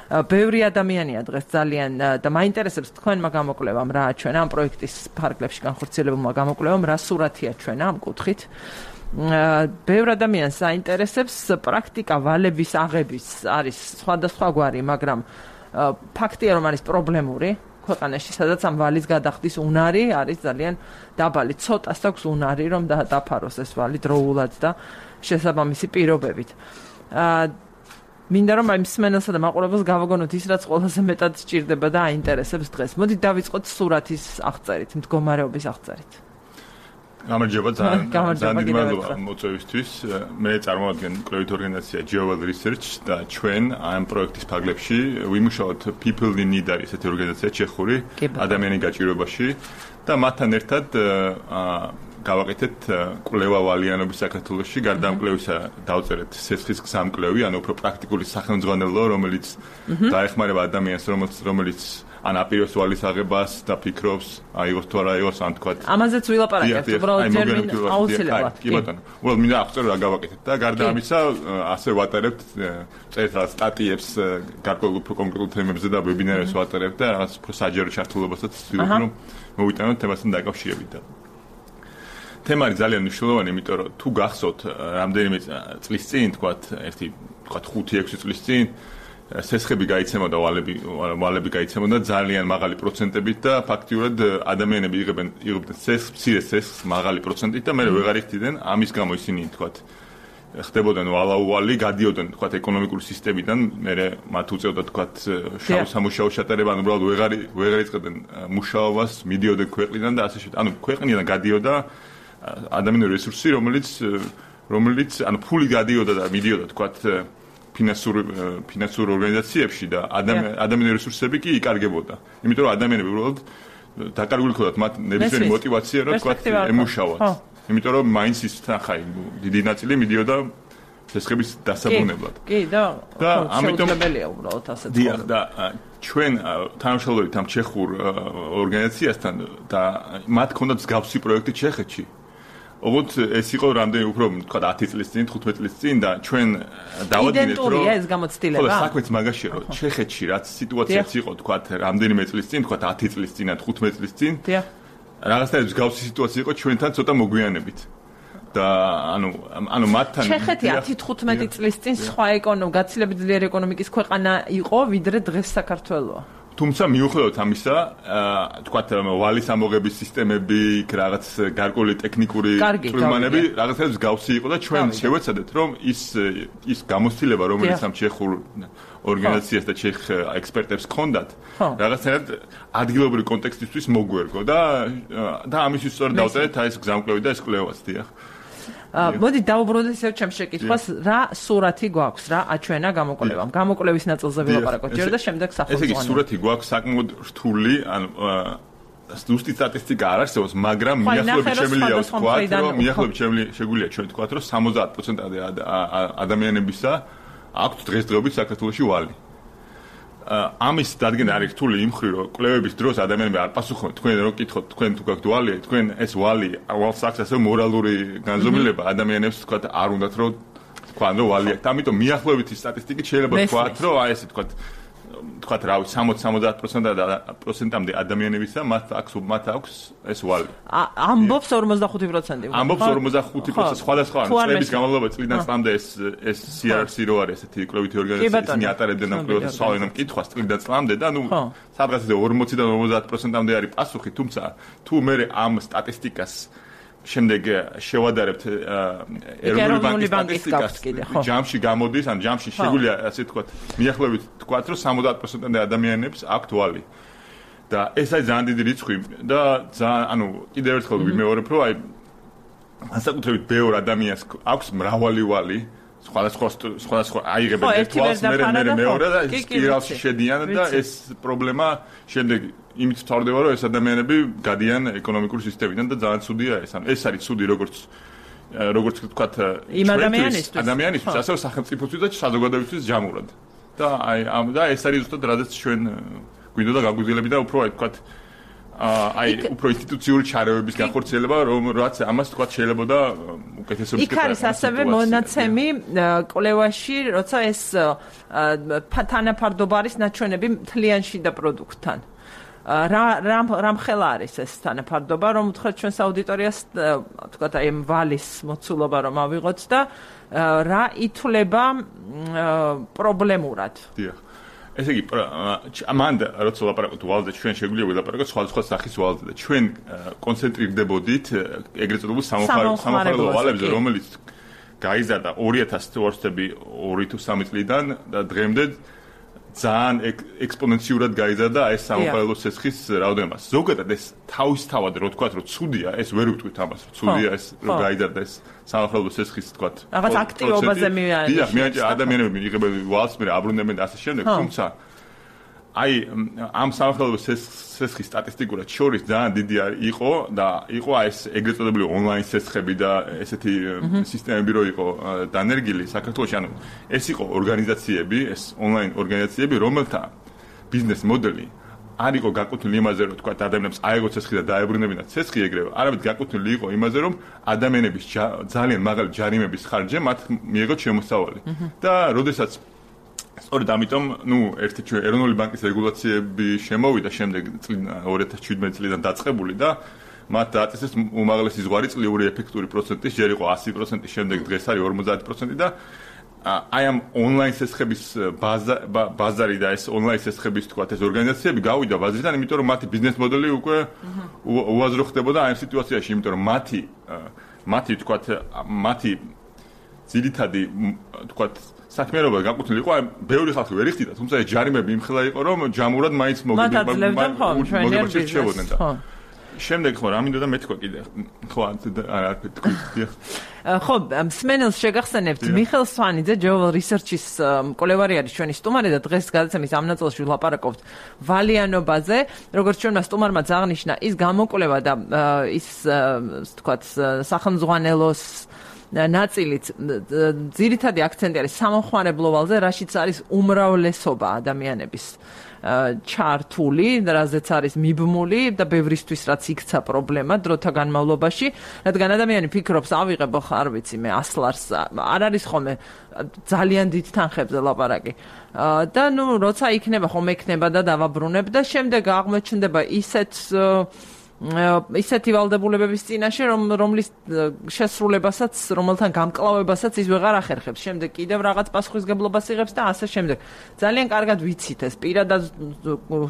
ბევრი ადამიანია დღეს ძალიან და მაინტერესებს თქვენმა გამოკვლევამ რა აჩვენა ამ პროექტის ფარგლებში განხორციელებულმა გამოკვლევამ, რა სურათი აჩვენა ამ კუთხით. ბევრ ადამიანს აინტერესებს პრაქტიკა ვალების აღების არის სხვადასხვაგვარი, მაგრამ ფაქტია რომ არის პრობლემური ქვეყანაში, სადაც ამ ვალის გადახდის უნარი არის ძალიან დაბალი. ცოტას აქვს უნარი რომ დაფაროს ეს ვალი დროულად და შესაბამისი პირობებით. მინდა რომ აი მსმენელსა და მაყურებელს გავაგონოთ ის, რაც ყველაზე მეტად სჭირდება და აინტერესებს დღეს. მოდით დავიწყოთ სურათის აღწერით, მდგომარეობის აღწერით. გამარჯობა, ძალიან დიდი მადლობა მოწვევისთვის. მე წარმოვადგენ კვლევით ორგანიზაცია Jewel Research და ჩვენ ამ პროექტის ფარგლებში ვიმუშაოთ People in Need არის ესეთი ორგანიზაცია ჩეხური ადამიანის გაჭირვებაში და მათთან ერთად გავაკეთეთ კვლევა ვალიანობის საქართველოში. გარდა ამ კვლევისა დავწერეთ სესხის გზამკვლევი, ანუ უფრო პრაქტიკული სახელმძღვანელო, რომელიც დაეხმარება ადამიანს, რომელიც ან აპირებს ვალის აღებას და ფიქრობს, აიღოს თუ არა აიღოს, ან თქვა. ამაზეც ვილაპარაკებთ, უბრალოდ ტერმინ აუცილებლად. კი ბატონო. უბრალოდ მინდა აღწერო რა გავაკეთეთ და გარდა ამისა ასე ვატარებთ წერილ სტატიებს გარკვეულ კონკრეტულ თემებზე და ვებინარებს ვატარებთ და რაღაც საჯარო ჩართულობასაც ვცდილობ რომ მოვიტანოთ თემასთან დაკავშირებით. თემა არის ძალიან მნიშვნელოვანი, იმიტომ რომ თუ გახსოვთ რამდენიმე წლის წინ, თქვათ 5-6 წლის წინ სესხები გაიცემოდა, ვალები გაიცემოდა ძალიან მაღალი პროცენტებით და ფაქტიურად ადამიანები იღებდნენ სესხს, მცირე სესხს მაღალი პროცენტით და მე ვეღარ იხდიდნენ, ამის გამო ისინი თქვათ ხდებოდნენ ვალაუვალი, გადიოდნენ თქვათ ეკონომიკური სისტემიდან, მე მათ უწევდა თქვათ შავ სამუშაო ჩატარება, ანუ უბრალოდ ვეღარ იწყებდნენ მუშაობას, მიდიოდნენ ქვეყნიდან და ასე შემდეგ. ანუ ქვეყნიდან გადიოდა ადამიანური რესურსი, რომელიც ანუ ფული გადიოდა და მიდიოდა თქვათ ფინანსურ ორგანიზაციებში და ადამიანური რესურსები კი იკარგებოდა. იმიტომ რომ ადამიანები უბრალოდ დაკარგული ჰქონდათ მათ ნებისმიერი мотиваცია რომ თქვათ ემუშაوات. იმიტომ რომ მაინც ის ხაი დიდი ნაწილი მიდიოდა შესხების დასაბუნებლად. კი და შეუძლებელია უბრალოდ ასე თქვა. და ჩვენ თანამშრომლობთ ამ ჩეხურ ორგანიზაციასთან და მათ ჰქონდათ მსგავსი პროექტი ჩეხეთში. ოღონდ ეს იყო რამდენი უფრო თქვა 10 წლის წინ, 15 წლის წინ და ჩვენ დავადგინეთ რომ იდენტურია ეს გამოცდილება. ხო, საქმეც მაგაშია რომ ჩეხეთში რაც სიტუაციაც იყო თქვა რამდენიმე წლის წინ, თქვა 10 წლის წინ ან 15 წლის წინ. რაღაცნაირად მსგავსი სიტუაცია იყო ჩვენთან ცოტა მოგვიანებით. და ანუ მათთან ჩეხეთი 10-15 წლის წინ სხვა გაცილებით ძლიერი ეკონომიკის ქვეყანა იყო, ვიდრე დღეს საქართველოა. თუმცა მიუხედავად ამისა, თქვათ ვალის ამოღების სისტემები, რაღაც გარკვეული ტექნიკური პრობლემები, რაღაცნაირად მსგავსი იყო და ჩვენ შევეცადეთ, რომ ის გამოცდილება, რომელიც ამ ჩეხურ ორგანიზაციას და ჩეხ ექსპერტებს ჰქონდათ, რაღაცნაირად ადგილობრივი კონტექსტისთვის მოგვერგო და ამისთვის სწორედ დავწერეთ აი ეს გზამკვლევი და ეს კვლევაც დიახ. მოდი დავუბრუნდეთ ისევ ჩემს შეკითხვას, რა სურათი გვაქვს, რა აჩვენა გამოკვლევამ. გამოკვლევის ნაწილზე ვილაპარაკოთ ჯერ და შემდეგ სახელმწიფო. ესე იგი სურათი გვაქვს საკმაოდ რთული, ანუ ზუსტი სტატისტიკა არ არსებობს, მაგრამ მიახლოებით შემიძლია ვთქვათ, რომ მიახლოებით შეგვიძლია ჩვენ ვთქვათ, რომ 70%-ამდე ადამიანებისა აქვთ დღესდღეობით საქართველოში ვალი. ამის დადგენა არის რთული იმ მხრივ, რომ კვლევების დროს ადამიანები არ პასუხობენ, თქვენ რო კითხოთ, თქვენ თუ გაქვთ ვალი, თქვენ ეს ვალს აქვს ასე მორალური განზომილება, ადამიანებს თქვათ არ უნდათ რომ თქვან რომ ვალი აქვს. ამიტომ მიახლოებითი სტატისტიკით შეიძლება ვთქვათ, რომ აი ესე თქვათ რავი 60-70%-ამდე ადამიანებისა მათ აქვს ეს ვალი. ამბობს 45%. ამბობს 45% სხვადასხვა წლების განმავლობაში წლიდან წლამდე ეს CRC რო არის ესეთი კვლევითი ორგანიზაცია, ისინი ატარებდნენ ამ კვლევას სავარაუდო კითხვას წლიდან წლამდე და ნუ სადღაც 40-დან 50%-ამდე არის პასუხი, თუმცა თუ მე ამ სტატისტიკას შემდეგ შევადარებთ ეროვნული ბანკის სტატისტიკას, ჯამში გამოდის, ან ჯამში შეგვიძლია ასე თქვათ, მიახლოებით თქვათ, რომ 70%-ამდე ადამიანებს აქვთ ვალი. და ეს არის ძალიან დიდი რიცხვი და ანუ კიდევ ერთხელ ვიმეორებ, რომ აი განსაკუთრებით ბევრ ადამიანს აქვს მრავალი ვალი, სხვადასხვა აიღებენ ერთ ვალს, მე მეორე და სპირალში შედიან და ეს პრობლემა შემდეგ იმით ვთავრდება, რომ ეს ადამიანები გადიან ეკონომიკური სისტემიდან და ძალიან ცუდია ეს. ანუ ეს არის ცუდი როგორც ვთქვათ, იმ ადამიანისთვის, ასევე სახელმწიფოსთვის და საზოგადოებისთვის ჯამურად. და ეს არის ზუსტად რადგან ჩვენ გვინდოდა გაგვიძლიებები და უფრო ვთქვათ უფრო ინსტიტუციური ჩარევების განხორციელება, რაც ამას თქვათ შეიძლება და უკეთესობის იქ არის ასევე მონაცემი კვლევაში, როცა ეს თანაფარდობა არის ნაჩვენები მთლიანში და პროდუქტთან. რამ ხელა არის ეს თანაფარდობა, რომ უთხრათ ჩვენს აუდიტორიას, თქვათ აი ვალის მოცულობა რომ ავიღოთ და რა ითვლება პრობლემურად. დიახ. ესე იგი, მან როცა ვლაპარაკობთ ვალზე, ჩვენ შეგვიძლია ვილაპარაკოთ სხვადასხვა სახის ვალზე და ჩვენ კონცენტრირდებოდით ეგრეთ წოდებულ სამოხარებლო ვალებზე, რომელიც გაიზარდა 2000 თვეში 2 თუ 3 წლიდან და დღემდე ძალიან ექსპონენციურად გაიზარდა ეს სამოხარებლო ცეცხლის რაოდენობა. ზოგადად ეს თავისთავად რო თქვათ, რომ ცუდია, ეს ვერ ვიტყვით ამას, რომ ცუდია ეს რო გაიზარდა ეს სამოხარებლო ცეცხლის თქვათ. რაღაც აქტივობაზე მიაჩნია. დიახ, ადამიანები მიიღებენ ვალს, მე აბრუნებენ და ასე შემდეგ, თუმცა აი ამ სამოხარებლო ცეცხლის სტატისტიკურად შორის ძალიან დიდი იყო და იყო ეს ეგრეთ წოდებული ონლაინ ცეცხლები და ესეთი სისტემები რო იყო დანერგილი საქართველოში, ანუ ეს იყო ორგანიზაციები, ეს ონლაინ ორგანიზაციები, რომელთა ბიზნეს მოდელი არ იყო გაკუთვნილი იმაზე, რომ თქვა ადამიანებს აიღო ცეცხლი და დაებრუნებინათ ცეცხლი ეგრევე, არამედ გაკუთვნილი იყო იმაზე, რომ ადამიანების ძალიან მაღალი ჯარიმების ხარჯზე მათ მიიღოთ შემოსავალი. და როდესაც სწორედ ამიტომ, ერთი ჩვენ ეროვნული ბანკის რეგულაციები შემოვიდა შემდეგ 2017 წლიდან დაწყებული და მათ დააწესეს უმაღლესი ზღვარი წლიური ეფექტური პროცენტის, ჯერ იყო 100%, შემდეგ დღეს არის 50% და აი ამ ონლაინ ცეცხლების ბაზარი და ეს ონლაინ ცეცხლების თქვათ ეს ორგანიზაციები გავიდა ბაზრიდან, იმიტომ რომ მათი ბიზნეს მოდელი უკვე უაზრო ხდებოდა ამ სიტუაციაში, იმიტომ რომ მათი თქვათ მათი ძირითადი თქვა საქმიანობა განკუთვნილი იყო, ბევრი ხალხი ვერ იხდიდა, თუმცა ეს ჯარიმები იმხელა იყო, რომ ჯამურად მაინც მოგებებდნენ და შემდეგ ხო რა მინდოდა მე თქვა კიდე ხო არა თქვი ხო სმენელს შეგახსენებთ მიხელ სვანიძე Jewel Research-ის მკვლევარი არის ჩვენი სტუმარი და დღეს გადაცემის ამ ნაწილში ვლაპარაკობთ ვალიანობაზე როგორც ჩვენმა სტუმარმა აღნიშნა ის გამოკვლევა და ის თქვათ სახელმძღვანელოს ნაწილით ძირითადი აქცენტი არის სამომხმარებლო ვალზე რაშიც არის უმრავლესობა ადამიანების ჩართული, რაზეც არის მიბმული და ბევრისთვის რაც იქცა პრობლემა დროთა განმავლობაში, რადგან ადამიანი ფიქრობს, ავიღებო ხარ ვიცი მე 100 ლარს, არ არის ხოლმე ძალიან დიდ თანხებზე ლაპარაკი. და ნუ როცა იქნება ხომ ექნება და დავაბრუნებ და შემდეგ აღმოჩნდება ისეთი ვალდებულებების წინაშე, რომლის შესრულებასაც, რომელთან გამკლავებასაც ის ვეღარ ახერხებს. შემდეგ კიდევ რაღაც პასუხისგებლობას იღებს და ასე შემდეგ. ძალიან კარგად ვიცით ეს პირადად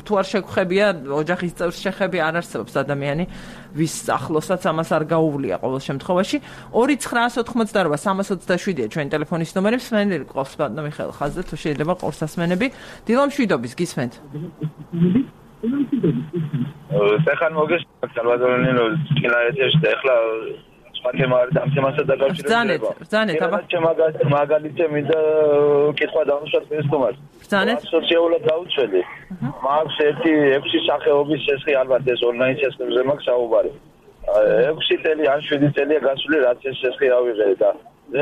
თუ არ შეგხვებია ოჯახის წევრს შეხები არ არსებობს ადამიანი, ვის ახლოსაც ამას არ გაუვლია ყოველ შემთხვევაში. 2988-327-ია ჩვენი ტელეფონის ნომერი. მსმენელი ყავს ბატონო მიხეილ ხაზზე, თუ შეიძლება ყურს ასმენები. დილო მშვიდობის, გისმენთ? სეხან მოგესალმებით სალვადორინო კილაეთში და ახლა სხვა თემა არის ამ თემასთან დაკავშირებით. ბრძანეთ აბა. მაგალითზე მინდა კითხვა დავუშვათ პესტომას. ბრძანეთ. სოციალურად დაუცველი. მაქვს ერთი 6 სახეობის შესხი ალბათ ეს ონლაინ სისტემზე მაქვს საუბარი. 6 წელი ან 7 წელია გასული რაც ეს შესხი ავიღე და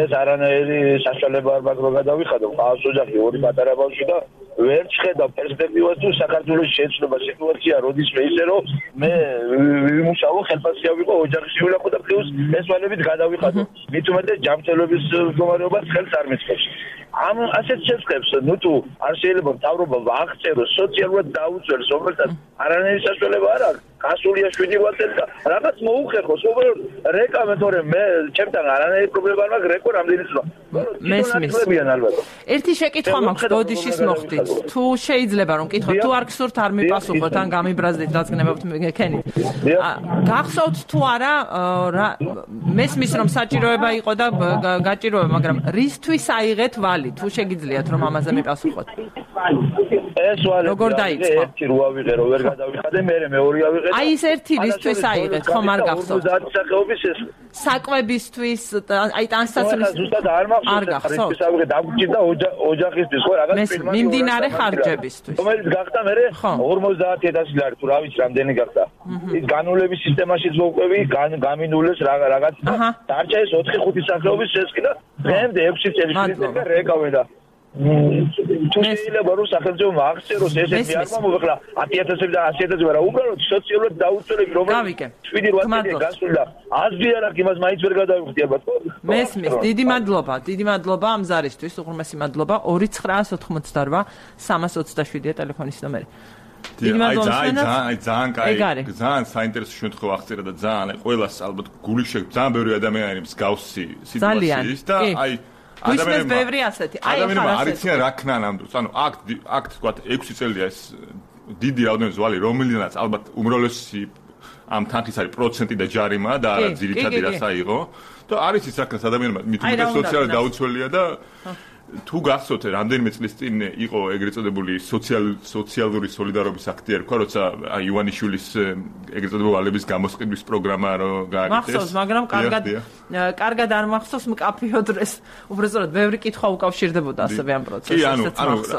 ეს არანაირი საშუალება არ მაქვს რომ გადავიხადო. ყავს ოჯახი, 2 პატარა ბავშვი და ვერ შეხედავ პერსპექტივას თუ საქართველოს შეცვლება სიტუაცია როდისმე ისე რომ მე ვიმუშაო ხელფასია ვიყო ოჯახში ვილახო და პლუს ეს ვალებით გადავიხადო მით უმეტეს ჯანმრთელობის მდგომარეობას ხელს არ მისცემს ამ ასეთ შეწყებს ნუ თუ არ შეიძლება მთავრობა აღწეროს სოციალურად დაუწევს რომელსაც არანაირი საშუალება არ აქვს გასულია 7 წელი და რაღაც მოუხერხოს უბრალოდ რეკამე თორე მე ჩემთან არანაირი პრობლემა არ მაქვს რეკო რამდენი წლა მესმის ერთი შეკითხვა მაქვს ბოდიშის მოხდით თუ შეიძლება რომ კითხოთ თუ არ გსურთ არ მიპასუხოთ ან გამიბრაზდით რაც გნებობთ მეკენით გახსოვთ თუ არა მესმის რომ საჭიროება იყო და გაჭიროება მაგრამ რისთვის აიღეთ ვალი თუ შეგიძლიათ რომ ამაზე მიპასუხოთ ეს ვალი როგორ დაიწყო ერთი რო ავიღე რომ ვერ გადავიხადე მე მეორე ავიღე აი ეს ერთი რისთვის აიღეთ ხომ არ გახსოვთ საკვებისთვის აი ტანსაცმლის ზუსტად არ მახსოვს ეს ავიღე დაგჭირდა ოჯახისთვის ხო რაღაც მიმდინარე ხარჯებისთვის რომელიც გახდა მე 50000 ლარი თუ რა ვიცი რამდენი გახდა ის განულების სისტემაშიც მოვყვები გამინულეს რაღაც დარჩა ეს 4-5 სახეობის შესყი და დღემდე 6 წელი შეიძლება რეკავე და თუ შეიძლება რომ სახელმწიფო აღწეროს ესეთი არ მომხდა 10000 და 100000 ვარა უბრალოდ სოციალურად დაუწევები რომელიც 7-8 წელი გასული და აზრი არ აქვს იმას მაინც ვერ გადავიხდი ალბათ მესმის დიდი მადლობა ამ ზარისთვის უღრმესი მადლობა 2988-327-ია ტელეფონის ნომერი ძალიან საინტერესო შემთხვევა აღწერა და ძალიან ყველას ალბათ გული ძალიან ბევრი ადამიანი მსგავსი სიტუაციის და აი ადამიანებს ბევრი ასეთი. ადამიანებმა არ იციან რა ქნა ნამდვილს. ანუ აქ თქვა 6 წელია ეს დიდი რაოდენობის ვალი, რომელიდანაც ალბათ უმრავლესი ამ თანხის არის პროცენტი და ჯარიმა და არა ძირითადი რაც აიღო. და არის ის რა ქნას ადამიანებმა მით უმეტეს სოციალურად დაუცველია და თუ გახსოვთ რამდენიმე წლის წინ იყო ეგრეთ წოდებული სოციალური სოლიდარობის აქტი ერქვა, როცა ივანიშვილის ეგრეთ წოდებული ვალების გამოსყიდვის პროგრამა რო გააკეთეს. მახსოვს, მაგრამ კარგად არ მახსოვს მკაფიო დროს. უბრალოდ ბევრი კითხვა უკავშირდებოდა ასევე ამ პროცესს. კი,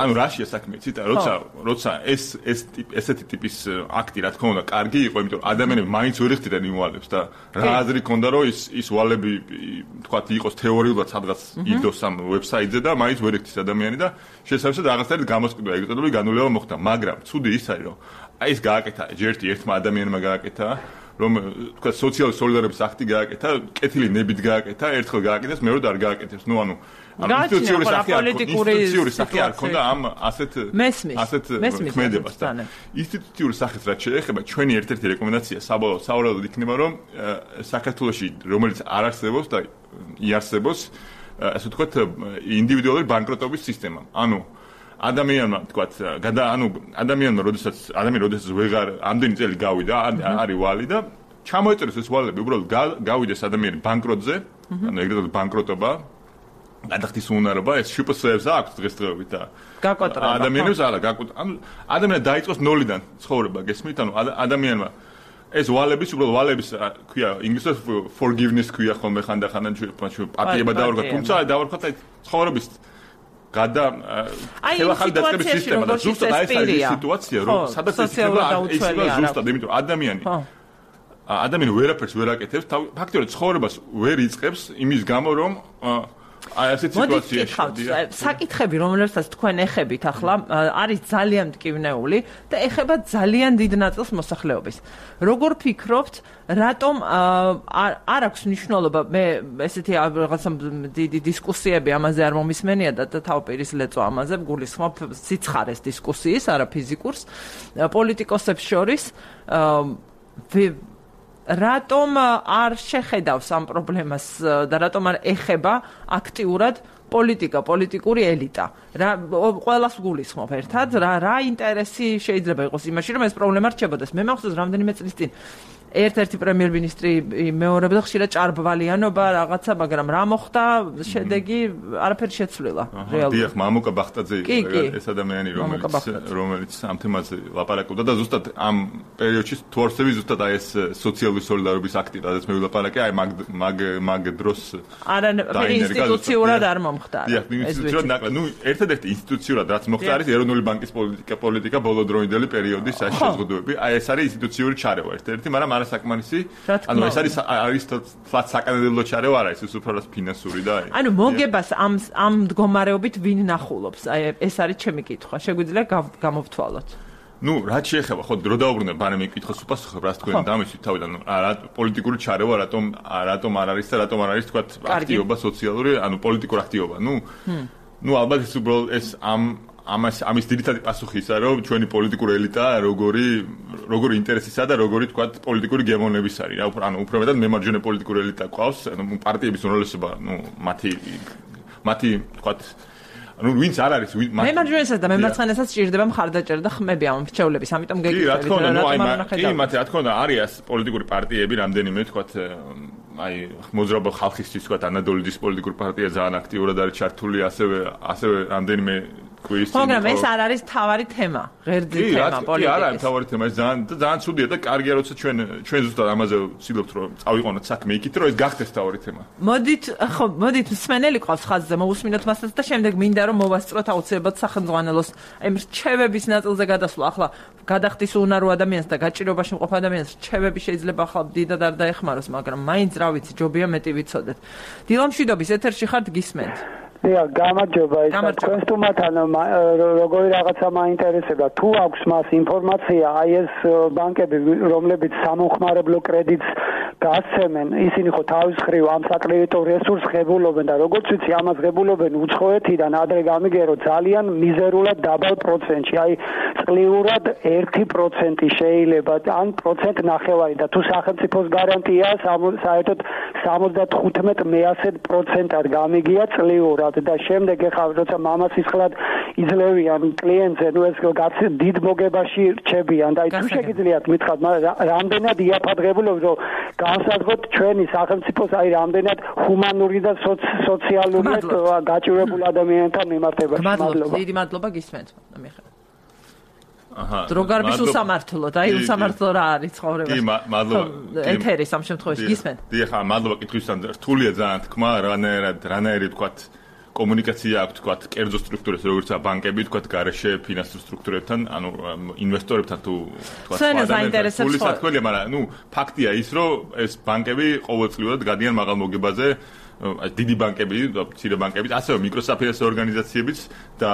ანუ რაშია საქმე, ციტა, როცა ესეთი ტიპის აქტი რა თქმა უნდა კარგი იყო, იმიტომ რომ ადამიანები მაინც ვერ იხდიდნენ იმ ვალებს და რა აზრი ქონდა რომ ის ვალები თქვათ იყოს თეორიულად სადღაც იდოს ამ ვებსაიტზე და მაინც ვერ იხდის ადამიანი და შესაძლოა რაღაცნაირად გამოსყიდვა ეგრეთ წოდებული განულება მოხდა, მაგრამ ცუდი ის არის რომ აი ეს გააკეთა ერთმა ადამიანმა გააკეთა რომ თქვა სოციალური სოლიდარობის აქტი გააკეთა, კეთილი ნებით გააკეთა, ერთხელ გააკეთეს, მეორე არ გააკეთებს. ნუ ანუ ინსტიტუციური სახე არ ქონდა ამ ასეთ ქმედებას და ინსტიტუციური სახით რაც შეეხება ჩვენი ერთ-ერთი რეკომენდაცია საბოლოოდ იქნება რომ საქართველოში რომელიც არ არსებობს და იარსებოს ასე ვთქვათ ინდივიდუალური ბანკროტობის სისტემა. ანუ ადამიანმა თქვათ ადამიანმა როდესაც ვეღარ ამდენი წელი გავიდა არის ვალი და ჩამოეწერეს ეს ვალები უბრალოდ გავიდეს ადამიანი ბანკროტზე ანუ ეგრეთ წოდებული ბანკროტობა გადახდის უნარობა ეს შპს-ებს აქვს დღესდღეობით და გაკოტრება. ადამიანებს არა გაკოტრება. ანუ ადამიანი დაიწყოს ნოლიდან ცხოვრება, გესმით? ანუ ადამიანმა ეს ვალების უბრალოდ ვალების ქვია ინგლისურად forgiveness ქვია ხოლმე ხანდახან პატიება დავარქვა, თუმცა დავარქვა ცხოვრების ხელახალი დაწყების სისტემა და ზუსტად აი ეს სიტუაცია რომ სადაც ისება ზუსტად იმიტომ ადამიანი ვერაფერს ვერ აკეთებს ფაქტობრივად ცხოვრებას ვერ იწყებს იმის გამო რომ აი ასეთ სიტუაციაში საკითხები რომლებსაც თქვენ ეხებით ახლა არის ძალიან მტკივნეული და ეხება ძალიან დიდ ნაწილს მოსახლეობის როგორ ფიქრობთ რატომ არ აქვს მნიშვნელობა მე ესეთი რაღაცა დიდი დისკუსიები ამაზე არ მომისმენია და თავპირის ლეწვა ამაზე გულისხმობ სიცხარეს დისკუსიის არა ფიზიკურს პოლიტიკოსებს შორის რატომ არ შეხედავს ამ პრობლემას და რატომ არ ეხება აქტიურად პოლიტიკური ელიტა რა ყველას გულისხმობ ერთად რა ინტერესი შეიძლება იყოს იმაში რომ ეს პრობლემა რჩებოდეს მე მახსოვს რამდენიმე წლის წინ ერთ-ერთი პრემიერ-მინისტრი მეორებდა ხშირად ჭარბვალიანობა რაღაცა მაგრამ რა მოხდა შედეგი არაფერი შეცვლილა რეალურად დიახ მამუკა ბახტაძე იყო ეს ადამიანი რომელიც ამ თემაზე ლაპარაკობდა და ზუსტად ამ პერიოდში თუ არსები ზუსტად აი ეს სოციალური სოლიდარობის აქტი რადგან მე ვილაპარაკე აი მაგ დროს არა ინსტიტუციურად არ მომხდარა დიახ ინსტიტუციურად ნაკლად ნუ ერთადერთი ინსტიტუციურად რაც მოხდა არის ეროვნული ბანკის პოლიტიკა ბოლოდროინდელი პერიოდის შეზღუდვები აი ეს არის ინსტიტუციური ჩარევა ერთ-ერთი მაგრამ საკმარისი ანუ ეს არის თლაც საკანონმდებლო ჩარევა არა ეს უბრალოდ ფინანსური და ანუ მოგებას ამ მდგომარეობით ვინ ნახულობს აი ეს არის ჩემი კითხვა შეგვიძლია გამოვთვალოთ ნუ რაც შეეხება ხო დრო დაუბრუნებ ბანემ მიკითხოს უპასუხებ რას თქვენ დამისვით თავიდან რა პოლიტიკური ჩარევა რატომ არ არის და რატომ არ არის თქვა აქტივობა სოციალური ანუ პოლიტიკური აქტივობა ნუ ალბათ ეს უბრალოდ ეს ამის ძირითადი პასუხი ისა რომ ჩვენი პოლიტიკური ელიტა როგორი ინტერესისა და როგორი თქვა პოლიტიკური გემოვნების არის რა ანუ უფრო მეტად მემარჯვენე პოლიტიკური ელიტა ყავს ანუ პარტიების უმრავლესობა ნუ მათი თქვა ანუ ვინც არ არის მემარჯვენესაც და მემარცხენესაც ჭირდება მხარდაჭერა და ხმები ამ რჩეულების ამიტომ გეკითხებით კი მათი რა თქმა უნდა არის პოლიტიკური პარტიები რამდენიმე თქვა აი მოძრაობა ხალხისთვის თქვა ანადოლიდის პოლიტიკური პარტია ძალიან აქტიურად არის ჩართული ასევე რამდენიმე მაგრამ ეს არ არის თავარი თემა, ღერძი თემა პოლიტიკის. კი, არა, თავარი თემა, ეს ძალიან ცუდია და კარგია, როცა ჩვენ ზუსტად ამაზე ვცდილობთ, რომ წავიყვანოთ საქმე იქით, რომ ეს გახდეს თავარი თემა. მოდით მსმენელი ყავს ხაზზე, მოусმინოთ მასაც და შემდეგ მინდა რომ მოვასწროთ აუცილებლად სახელმძღვანელოს აი რჩევების ნაწილზე გადასვლა. ახლა გადახდის უნარო ადამიანს და გაჭირობაში მყოფ ადამიანს რჩევები შეიძლება ახლა დიდად არ დაეხმაროს, მაგრამ მაინც რა ვიცი, ჯობია მეტი ვიცოდეთ. დილამშვიდობის ეთერში ხართ გისმენთ. გამარჯობა თქვენ სტუმართან როგორი რაღაცა მაინტერესება თუ აქვს მას ინფორმაცია აი ეს ბანკები რომლებიც სამომხმარებლო კრედიტს გასცემენ ისინი ხო თავის მხრივ ამ საკრედიტო რესურსს ღებულობენ და როგორც ვიცი ამას ღებულობენ უცხოეთიდან ადრე გამიგერო ძალიან მიზერულად დაბალ პროცენტში აი წლიურად 1% შეიძლება ან პროცენტ ნახევარი და თუ სახელმწიფოს გარანტია საერთოდ 75% გამიგია წლიურად და შემდეგ ეხლა როცა მამაცის ხლად იძლევიან კლიენტზე ნუ ეს დიდ მოგებაში რჩებიან და თუ შეგიძლიათ მითხრათ რამდენად იაფადღებულობთ რომ განსაზღვროთ ჩვენი სახელმწიფოს აი რამდენად ჰუმანური და სოციალური გაჭირებულ ადამიანთან მიმართებაში მადლობა დიდი მადლობა გისმენთ აჰა დროგარბის უსამართლოდ აი უსამართლო რა არის ცხოვრება კი მადლობა ეთერის ამ შემთხვევაში გისმენთ დიახ მადლობა კითხვისგან რთულია ძალიან თქმა რანაირი თქვათ კომუნიკაცია აქვს თქვათ კერძო სტრუქტურებს როგორიცაა ბანკები თქვათ გარეშე ფინანსურ სტრუქტურებთან ანუ ინვესტორებთან თუ თქვათ საინტერესებს ხოლმე მაგრამ ნუ ფაქტია ის რომ ეს ბანკები ყოველწლიურად გადიან მაღალ მოგებაზე დიდი ბანკები და მცირე ბანკები ასევე მიკროსაფინანსო ორგანიზაციებიც და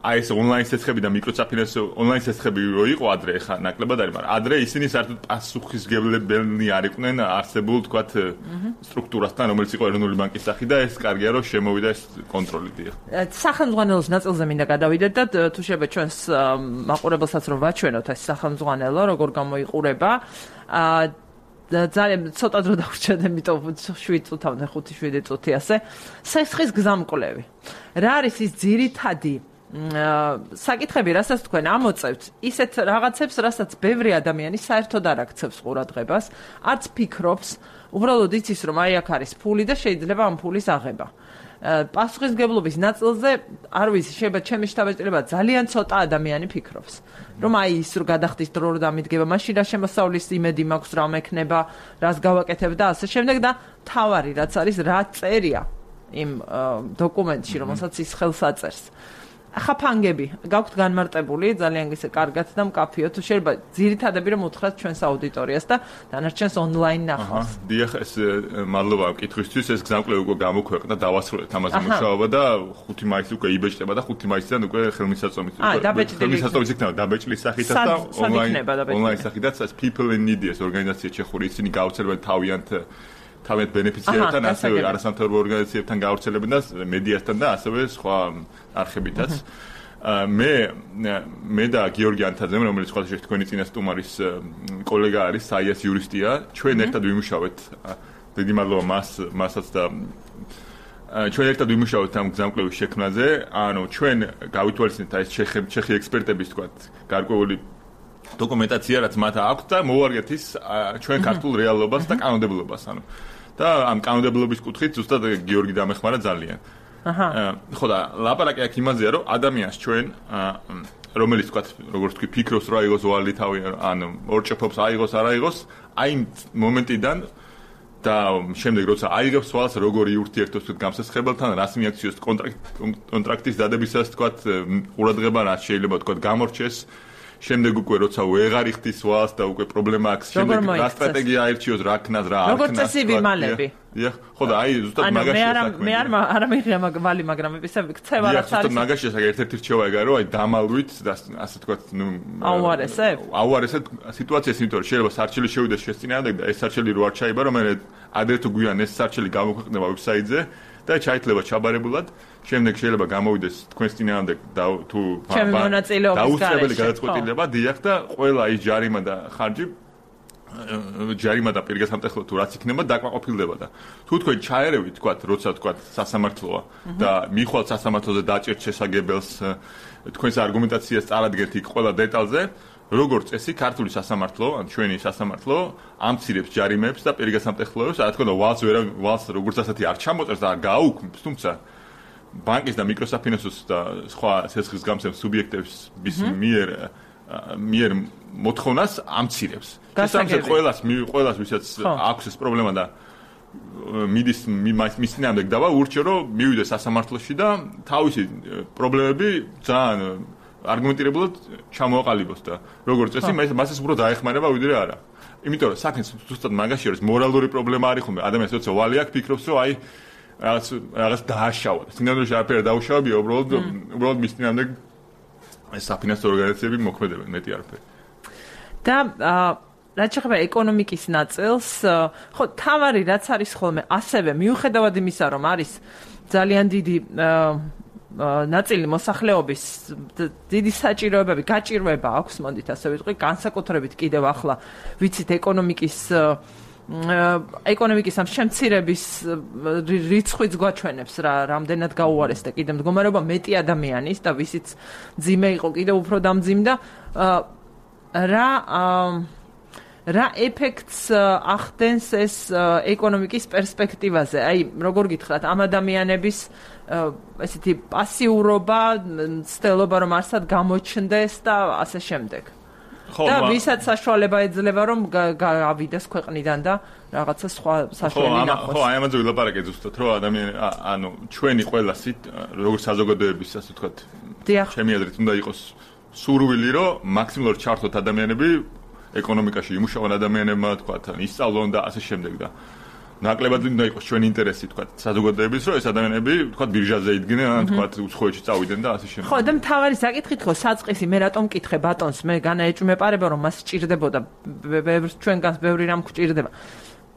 აი ეს ონლაინ სესხები და მიკროსაფინანსო ონლაინ სესხები რო იყო ადრე ხა ნაკლებად არის მაგრამ ადრე ისინი საერთოდ პასუხისმგებლები არ იყვნენ არსებულ თქვათ სტრუქტურასთან რომელიც იყო ეროვნული ბანკის სახით და ეს კარგია რომ შემოვიდა ეს კონტროლი დიახ სახელმძღვანელოს ნაწილზე მინდა გადავიდეთ და თუ შეიძლება ჩვენს მაყურებელსაც რომ ვაჩვენოთ ეს სახელმძღვანელო როგორ გამოიყურება ძალიან ცოტა დრო დავრჩათ იმიტომ 7 წუთამდე 5-7 წუთი ასე სესხის გზამკვლევი რა არის ის ძირითადი საკითხები, რასაც თქვენ ამოწევთ, ისეთ რაღაცებს, რასაც ბევრი ადამიანი საერთოდ არ აქცევს ყურადღებას, არც ფიქრობს, უბრალოდ იცის, რომ აი აქ არის ფული და შეიძლება ამ ფულის აღება. პასუხისმგებლობის ნაწილზე არ ვიცი, შეიძლება ჩემი შთაბეჭდილება ძალიან ცოტა ადამიანი ფიქრობს. რომ აი ის რო გადახდის დრო რომ დამიდგება, მაშინ რა შემოსავლის იმედი მაქვს, რა მექნება, რას გავაკეთებ და ასე შემდეგ და თავარი რაც არის, რა წერია იმ დოკუმენტში, რომელსაც ის ხელს აწერს. ახლა ფანგები გაქვთ განმარტებული ძალიან ისე კარგად და მკაფიოდ, შეიძლება ძირითადები რომ უთხრათ ჩვენს აუდიტორიას და დანარჩენს ონლაინ ნახავს. დიახ, ეს მადლობა კითხვისთვის, ეს გზამკვლევი უკვე გამოქვეყნდა, დავასრულეთ ამაზე მუშაობა და 5 მაისს უკვე იბეჭდება და 5 მაისიდან უკვე ხელმისაწვდომით ხელმისაწვდომით იქნება დაბეჭდილი სახითაც და ონლაინ სახითაც ეს People in Need ეს ორგანიზაცია ჩეხური ისინი გავრცელებენ თავიანთ ბენეფიციარებთან, ასევე არასამთავრობო ორგანიზაციებთან გავრცელებენ და მედიასთან და ასევე სხვა არხებითაც. მე და გიორგი ანთაძე, რომელიც სხვა შეხვედრით თქვენი წინა სტუმარის კოლეგა არის, საიას იურისტია, ჩვენ ერთად ვიმუშავეთ. დიდი მადლობა მასაც და ჩვენ ერთად ვიმუშავეთ ამ გზამკვლევის შექმნაზე. ანუ ჩვენ გავითვალისწინეთ ეს ჩეხი ექსპერტების თქვათ გარკვეული დოკუმენტაცია რაც მათ აქვს და მოვარგეთ ის ჩვენ ქართულ რეალობას და კანონმდებლობას, ანუ და ამ კანონმდებლობის კუთხით ზუსტად გიორგი დამეხმარა ძალიან. ხო და ლაპარაკი აქ იმაზეა, რომ ადამიანს ჩვენ რომელიც თქვათ როგორც თქვი ფიქრობს რა აიღოს ვალი თავი, ანუ ორჭეფობს აიღოს არ აიღოს, აი მომენტიდან და შემდეგ როცა აიღებს ვალს როგორი ურთიერთობს თქვით გამსესხებელთან, რას მიაქციოს კონტრაქტის დადებისას თქვათ ყურადღება რაც შეიძლება თქვათ გამორჩეს. შემდეგ უკვე როცა ვეღარ იხდის ვალს და უკვე პრობლემა აქვს, შემდეგ რა სტრატეგია აირჩიოს, რა ქნას, რა არ ქნას. როგორც წესი ვიმალები. დიახ, ხო და აი ზუსტად მაგაში საქმე. მე არ მიღია ვალი, მაგრამ ისე ქცევა რაც არის. ზუსტად მაგაში ერთ-ერთი რჩევა ეგაა, რომ აი დამალვით და ასე თქვათ, აუარესეთ სიტუაციას, იმიტომ რომ შეიძლება სარჩელი შევიდეს შესწინააღმდეგ და ეს სარჩელი რო არ ჩაიბარო, მე ადრე თუ გვიან ეს სარჩელი გამოქვეყნდება ვებსაიტზე და ჩაითლება ჩაბარებულად. შემდეგ შეიძლება გამოვიდეს თქვენს წინააღმდეგ თუ დაუსწრებელი გადაწყვეტილება, დიახ და ყველა ის ჯარიმა და ხარჯი ჯარიმა და პირგესამტეხლო თუ რაც იქნება დაკმაყოფილდება და თუ თქვენ ჩაერევით თქვათ როცა თქვათ სასამართლოა და მიხვალთ სასამართლოზე დაჭერთ შესაგებელს თქვენს არგუმენტაციას წარადგენთ იქ ყველა დეტალზე როგორც წესი ქართული სასამართლო ან ჩვენი სასამართლო ამცირებს ჯარიმებს და პირგესამტეხლოებს რა თქმა უნდა ვალს როგორც ასეთი არ ჩამოწერს და არ გააუქმებს თუმცა ბანკის და მიკროსაფინანსოს და სხვა სესხის გამცემ სუბიექტების მიერ მოთხოვნას ამცირებს. შესაბამისად ყველას ვისაც აქვს ეს პრობლემა და მიდის მის წინააღმდეგ დავა ურჩევ რომ მივიდეს სასამართლოში და თავისი პრობლემები ძალიან არგუმენტირებულად ჩამოაყალიბოს და როგორც წესი მას ეს უფრო დაეხმარება ვიდრე არა. იმიტომ რომ საქმე ზუსტად მაგაში არის მორალური პრობლემა არის ხომ ადამიანს როცა ვალი აქვს ფიქრობს რომ აი რაღაც დააშავა. სინამდვილეში არაფერი დაუშავებია, უბრალოდ მის წინააღმდეგ ეს საფინანსო ორგანიზაციები მოქმედებენ, მეტი არაფერი. და რაც შეეხება ეკონომიკის ნაწილს, ხო, თავარი რაც არის ხოლმე, ასევე მიუხედავად იმისა, რომ არის ძალიან დიდი ნაწილი მოსახლეობის დიდი საჭიროებები, გაჭირვება აქვს, მოდით ასე ვიტყვი, განსაკუთრებით კიდევ ახლა ვიცით ეკონომიკის ამ შემცირების რიცხვიც გვაჩვენებს რა რამდენად გაუარესდა კიდევ მდგომარეობა მეტი ადამიანის და ვისიც ძიმე იყო კიდევ უფრო დამძიმდა რა ეფექტს ახდენს ეს ეკონომიკის პერსპექტივაზე აი როგორ გითხრათ ამ ადამიანების ესეთი პასიურობა ცდილობა რომ არსად გამოჩნდეს და ასე შემდეგ და ვისაც საშუალება ეძლევა რომ გავიდეს ქვეყნიდან და რაღაცა სხვა საშუალება ნახოს. ხო, აი ამაზე ვილაპარაკე ზუსტად, რომ ადამიანი, ანუ ჩვენი ყველასით, როგორც საზოგადოების, ასე ვთქვათ, ჩემი აზრით უნდა იყოს სურვილი, რომ მაქსიმალურად ჩართოთ ადამიანები ეკონომიკაში, იმუშავონ ადამიანებმა, ვთქვათ, ისწავლონ და ასე შემდეგ და ნაკლებად უნდა იყოს ჩვენი ინტერესი, ვთქვათ, საზოგადოების, რომ ეს ადამიანები, ვთქვათ, ბირჟაზე იდგნენ, ან ვთქვათ, უცხოეთში წავიდნენ და ასე შემდეგ. ხო, და მთავარი საკითხით ხო, საწყისი, მე რატომ მკითხე ბატონს, მე განაეჭვმეპარება, რომ მას სჭირდებოდა, ჩვენგანს ბევრი რამ გვჭირდება.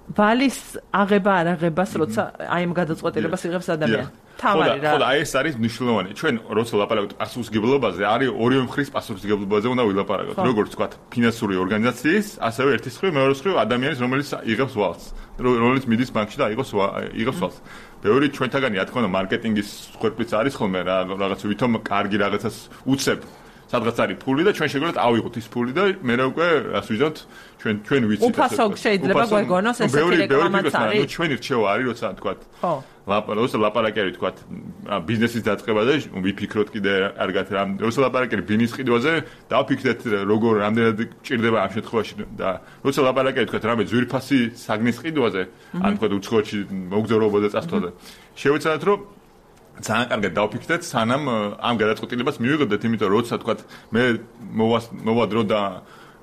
ვალის აღება არ აღებას, როცა აი ამ გადაწყვეტილებას იღებს ადამიანი. თავარი რა. ხო, და აი ეს არის მნიშვნელოვანი. ჩვენ როცა ვლაპარაკობთ პასუხისმგებლობაზე, არის ორივე მხრივ პასუხისმგებლობაზე უნდა ვილაპარაკოთ. როგორც ვთქვათ, ფინანსური ორგანიზაციის, ასევე ერთის მხრივ, მეორეს მხრივ ადამიანის, რომელიც იღებს ვალს. რომელიც მიდის ბანკში და იღებს ვალს. ბევრი ჩვენთაგანი, რა თქმა უნდა, მარკეტინგის ხერხიც არის ხოლმე, რაღაც ვითომ კარგი რაღაცას უცებ სადღაც არის ფული და ჩვენ შეგვიძლიათ ავიღოთ ის ფული და მე უკვე რას ვიზავთ ჩვენ ვიცით უფასო შეიძლება გვეგონოს ესეთი რეკლამაც არის ნუ ჩვენი რჩევა არის როცა თქვა ხო როცა ლაპარაკი არის თქვა ბიზნესის დაწყება და ვიფიქროთ კიდე კარგად როცა ლაპარაკი არის ბიზნეს ყიდვაზე დავფიქრეთ როგორ რამდენად ჭირდება ამ შემთხვევაში და როცა ლაპარაკი არის თქვა რამე ძვირფასი საგნის ყიდვაზე ან თქვა უცხოეთში მოგზაურობაზე წასვლაზე შევეცადოთ რომ ძალიან კარგად დავფიქრეთ სანამ ამ გადაწყვეტილებას მივიღებდეთ იმიტომ რომ როცა თქვა მე მოვა დრო და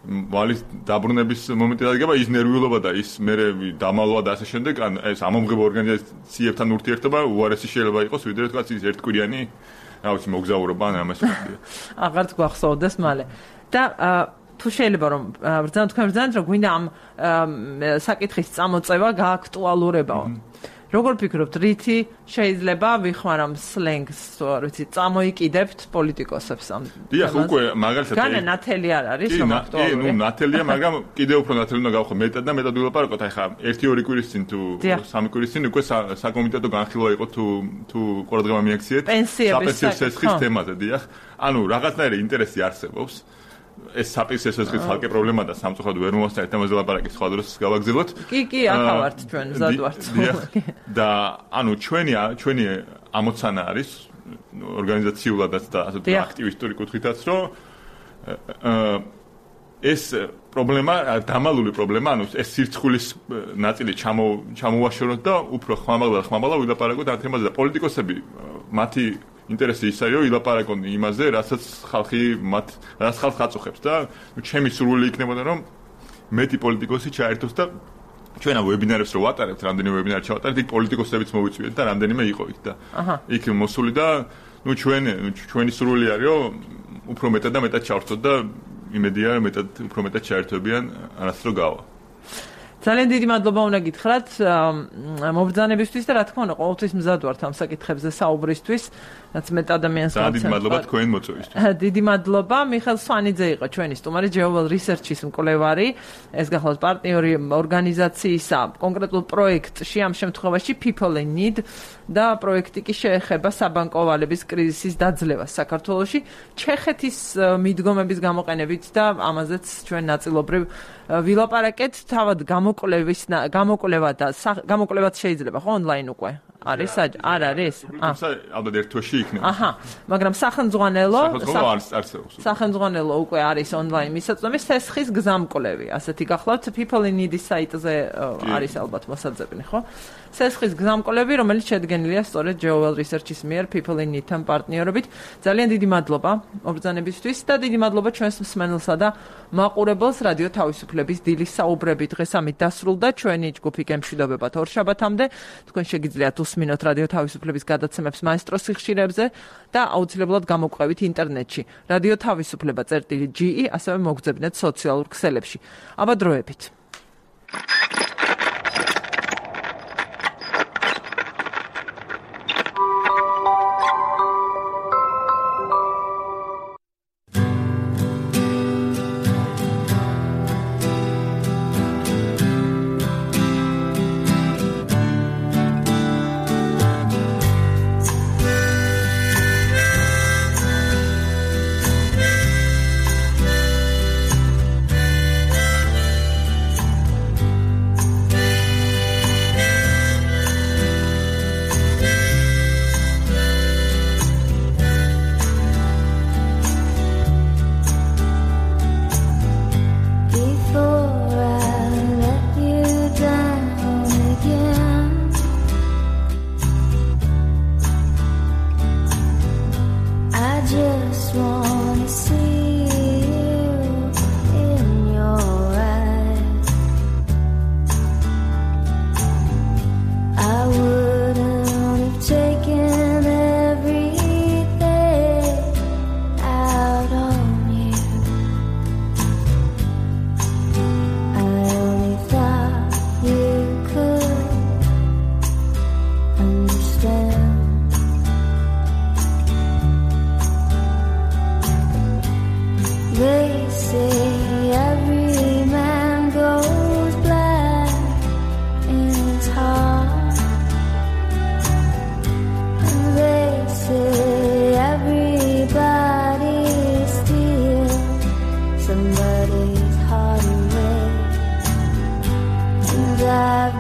ვალის დაბრუნების მომენტი დადგება ის ნერვიულობა და ის მე დამალვა და ასე შემდეგ ან ეს ამომღებო ორგანიზაციებთან ურთიერთობა უარესი შეიძლება იყოს ვიდრე თქვა ის ერთკვირიანი რა ვიცი მოგზაურობა ან ამას ვთქვი აღარ გვახსოვდეს მალე და თუ შეიძლება რომ თქვენ ბრძანეთ რომ გვინდა ამ საკითხის წამოწევა გააქტუალურებაო როგორ ფიქრობთ, რითი შეიძლება ვიხმარამ სლენგს, არ ვიცი, წამოიკიდებთ პოლიტიკოსებს ამ. დიახ, უკვე მაგალითად განა ნათელი არ არის, რომ აქტუალური. კი, ნათელია, მაგრამ კიდევ უფრო ნათელი უნდა გავხო მეტად და მეტად ვილაპარაკოთ. აი ხა 1-2 კვირის წინ თუ 3 კვირის წინ უკვე საკომიტეტო განხილვა იყო თუ ყურადღება მიაქციეთ საპენსიო სესხის თემაზე, დიახ. ანუ რაღაცნაირი ინტერესი არსებობს. ეს საპენსიო სესხის ხალხი პრობლემა და სამწუხაროდ ვერ მოასწრეთ თემაზე ლაპარაკი სხვა დროს გავაგზავნოთ. კი, ახლა ვართ ჩვენ მზად ვართ. და ანუ ჩვენი ამოცანა არის ორგანიზაციულადაც და ასე აქტივისტური კუთხითაც რომ ეს პრობლემა დამალული პრობლემა ანუ ეს სირცხვილის ნაწილი ჩამოვაშოროთ და უფრო ხმამაღლა ვილაპარაკოთ ამ თემაზე და პოლიტიკოსები მათი ინტერესი ის არის რომ ილაპარაკონ იმაზე რასაც ხალხი რაც ხალხს აწუხებს და ჩემი სურვილი იქნებოდა რომ მეტი პოლიტიკოსი ჩაერთოს და ჩვენ ამ ვებინარებს რო ვატარებთ რამდენიმე ვებინარი ჩავატარეთ იქ პოლიტიკოსებიც მოვიწვიეთ და რამდენიმე იყო იქ და იქ მოსული და ჩვენი სურვილი არის რომ უფრო მეტად და მეტად ჩავრთოთ და იმედია რომ უფრო მეტად ჩაერთვებიან არასდროს რო გავა ძალიან დიდი მადლობა უნდა გითხრათ მობრძანებისთვის და რა თქმა უნდა ყოველთვის მზად ვართ ამ საკითხებზე საუბრისთვის რაც მეტ ადამიანს ძალიან დიდი მადლობა თქვენ მოწვევისთვის დიდი მადლობა მიხელ სვანიძე იყო ჩვენი სტუმარი Geowell Research-ის მკვლევარი ეს გახლავთ პარტნიორი ორგანიზაციისა კონკრეტულ პროექტში ამ შემთხვევაში People in Need და პროექტი კი შეეხება საბანკო ვალების კრიზისის დაძლევას საქართველოში ჩეხეთის მიდგომების გამოყენებით და ამაზეც ჩვენ ნაწილობრივ ვილაპარაკეთ თავად გამოკვლევაც შეიძლება ხო ონლაინ უკვე არის არ არის ალბათ ერთ თვეში იქნება მაგრამ სახელმძღვანელო უკვე არის ონლაინ მისაწვდომი სესხის გზამკვლევი ასეთი გახლავთ People in Need საიტზე არის ალბათ მოსაძებნი ხო სესხის გზამკვლევი რომელიც შედგენილია სწორედ Geowell Research-ის მიერ People in Need-თან პარტნიორობით ძალიან დიდი მადლობა მობრძანებისთვის და დიდი მადლობა ჩვენს მსმენელსა და მაყურებელს რადიო თავისუფლების დილის საუბრები დღეს ამით დასრულდა ჩვენი ჯგუფი გემშვიდობებათ ორშაბათამდე თქვენ შეგიძლიათ უსმინოთ რადიო თავისუფლების გადაცემებს მაესტროს სიხშირეებზე და აუცილებლად გამოგყვებით ინტერნეტში რადიო თავისუფლება.ge ასევე მოგძებნეთ სოციალურ ქსელებში აბა დროებით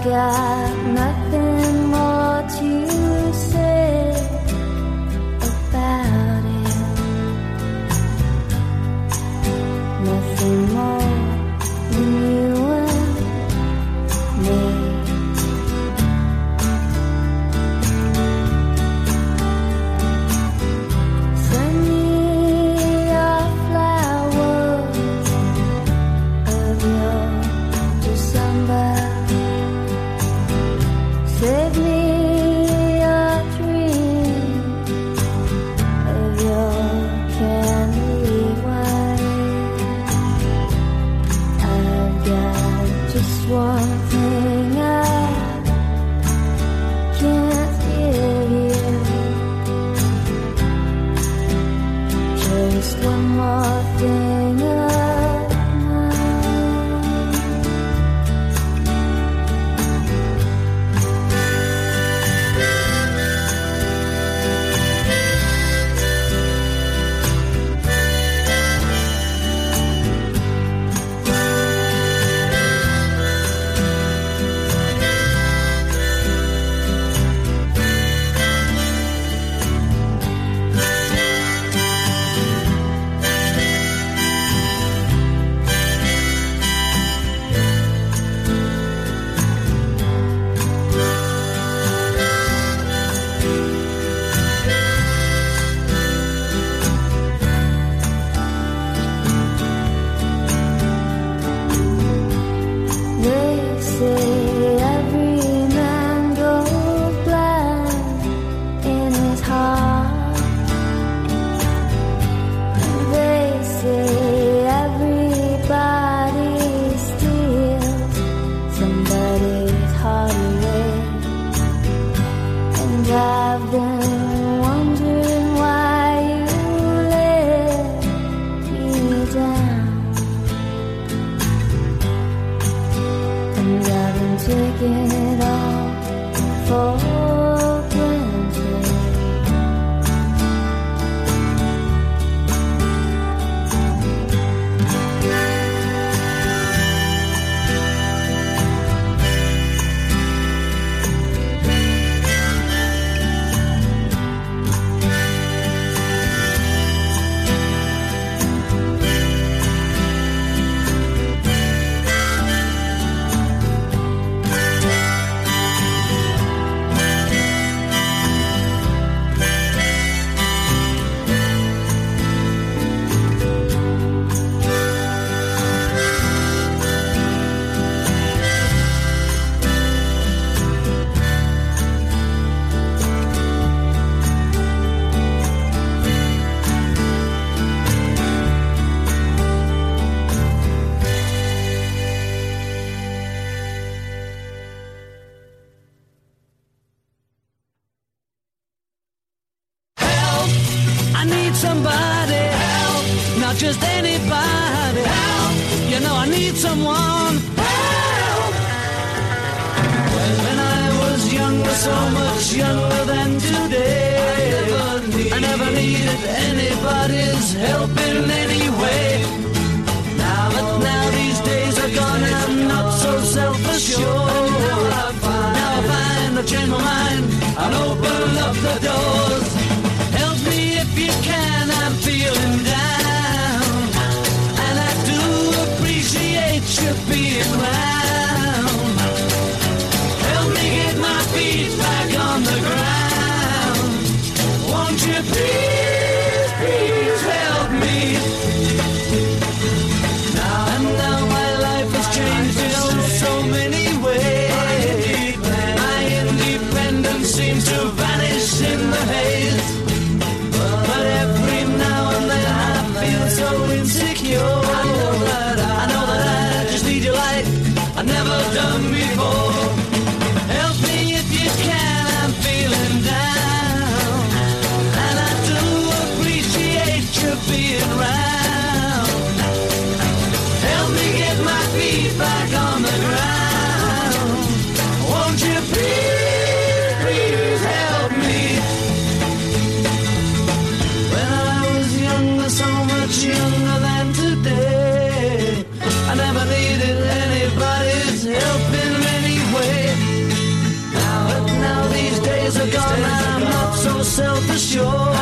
got nothing more to say about it. Nothing more than you and me. Send me your flowers of your December. Save me your dream of your candy wine. I've got just one thing I can't give you. Just one more thing of mine. They say every man goes blind in his heart. They say everybody steals somebody's heart away. And I've been wondering why you let me down. And I've been taking it all for granted. I need somebody help, not just anybody help. You know I need someone help. When I was younger, so much younger than today, I never needed anybody's help in any way. Now these days are gone and I'm not so self-assured. Now I find I've changed my mind and open up the doors. Help me if you can, I'm feeling down, and I do appreciate you being round. Help me get my feet back on the ground. Won't you please, please help me? Now my life has changed in so many ways. My independence seems to vanish in the haze. But every now and then I feel so insecure. I know that I just need your light I've never done before. Help me if you can, I'm feeling down, and I do appreciate you being round. Help me get my feet back on the ground. Won't you please, please help me? When I was younger, so much younger than today, I never needed anybody's help in any way. self-assured.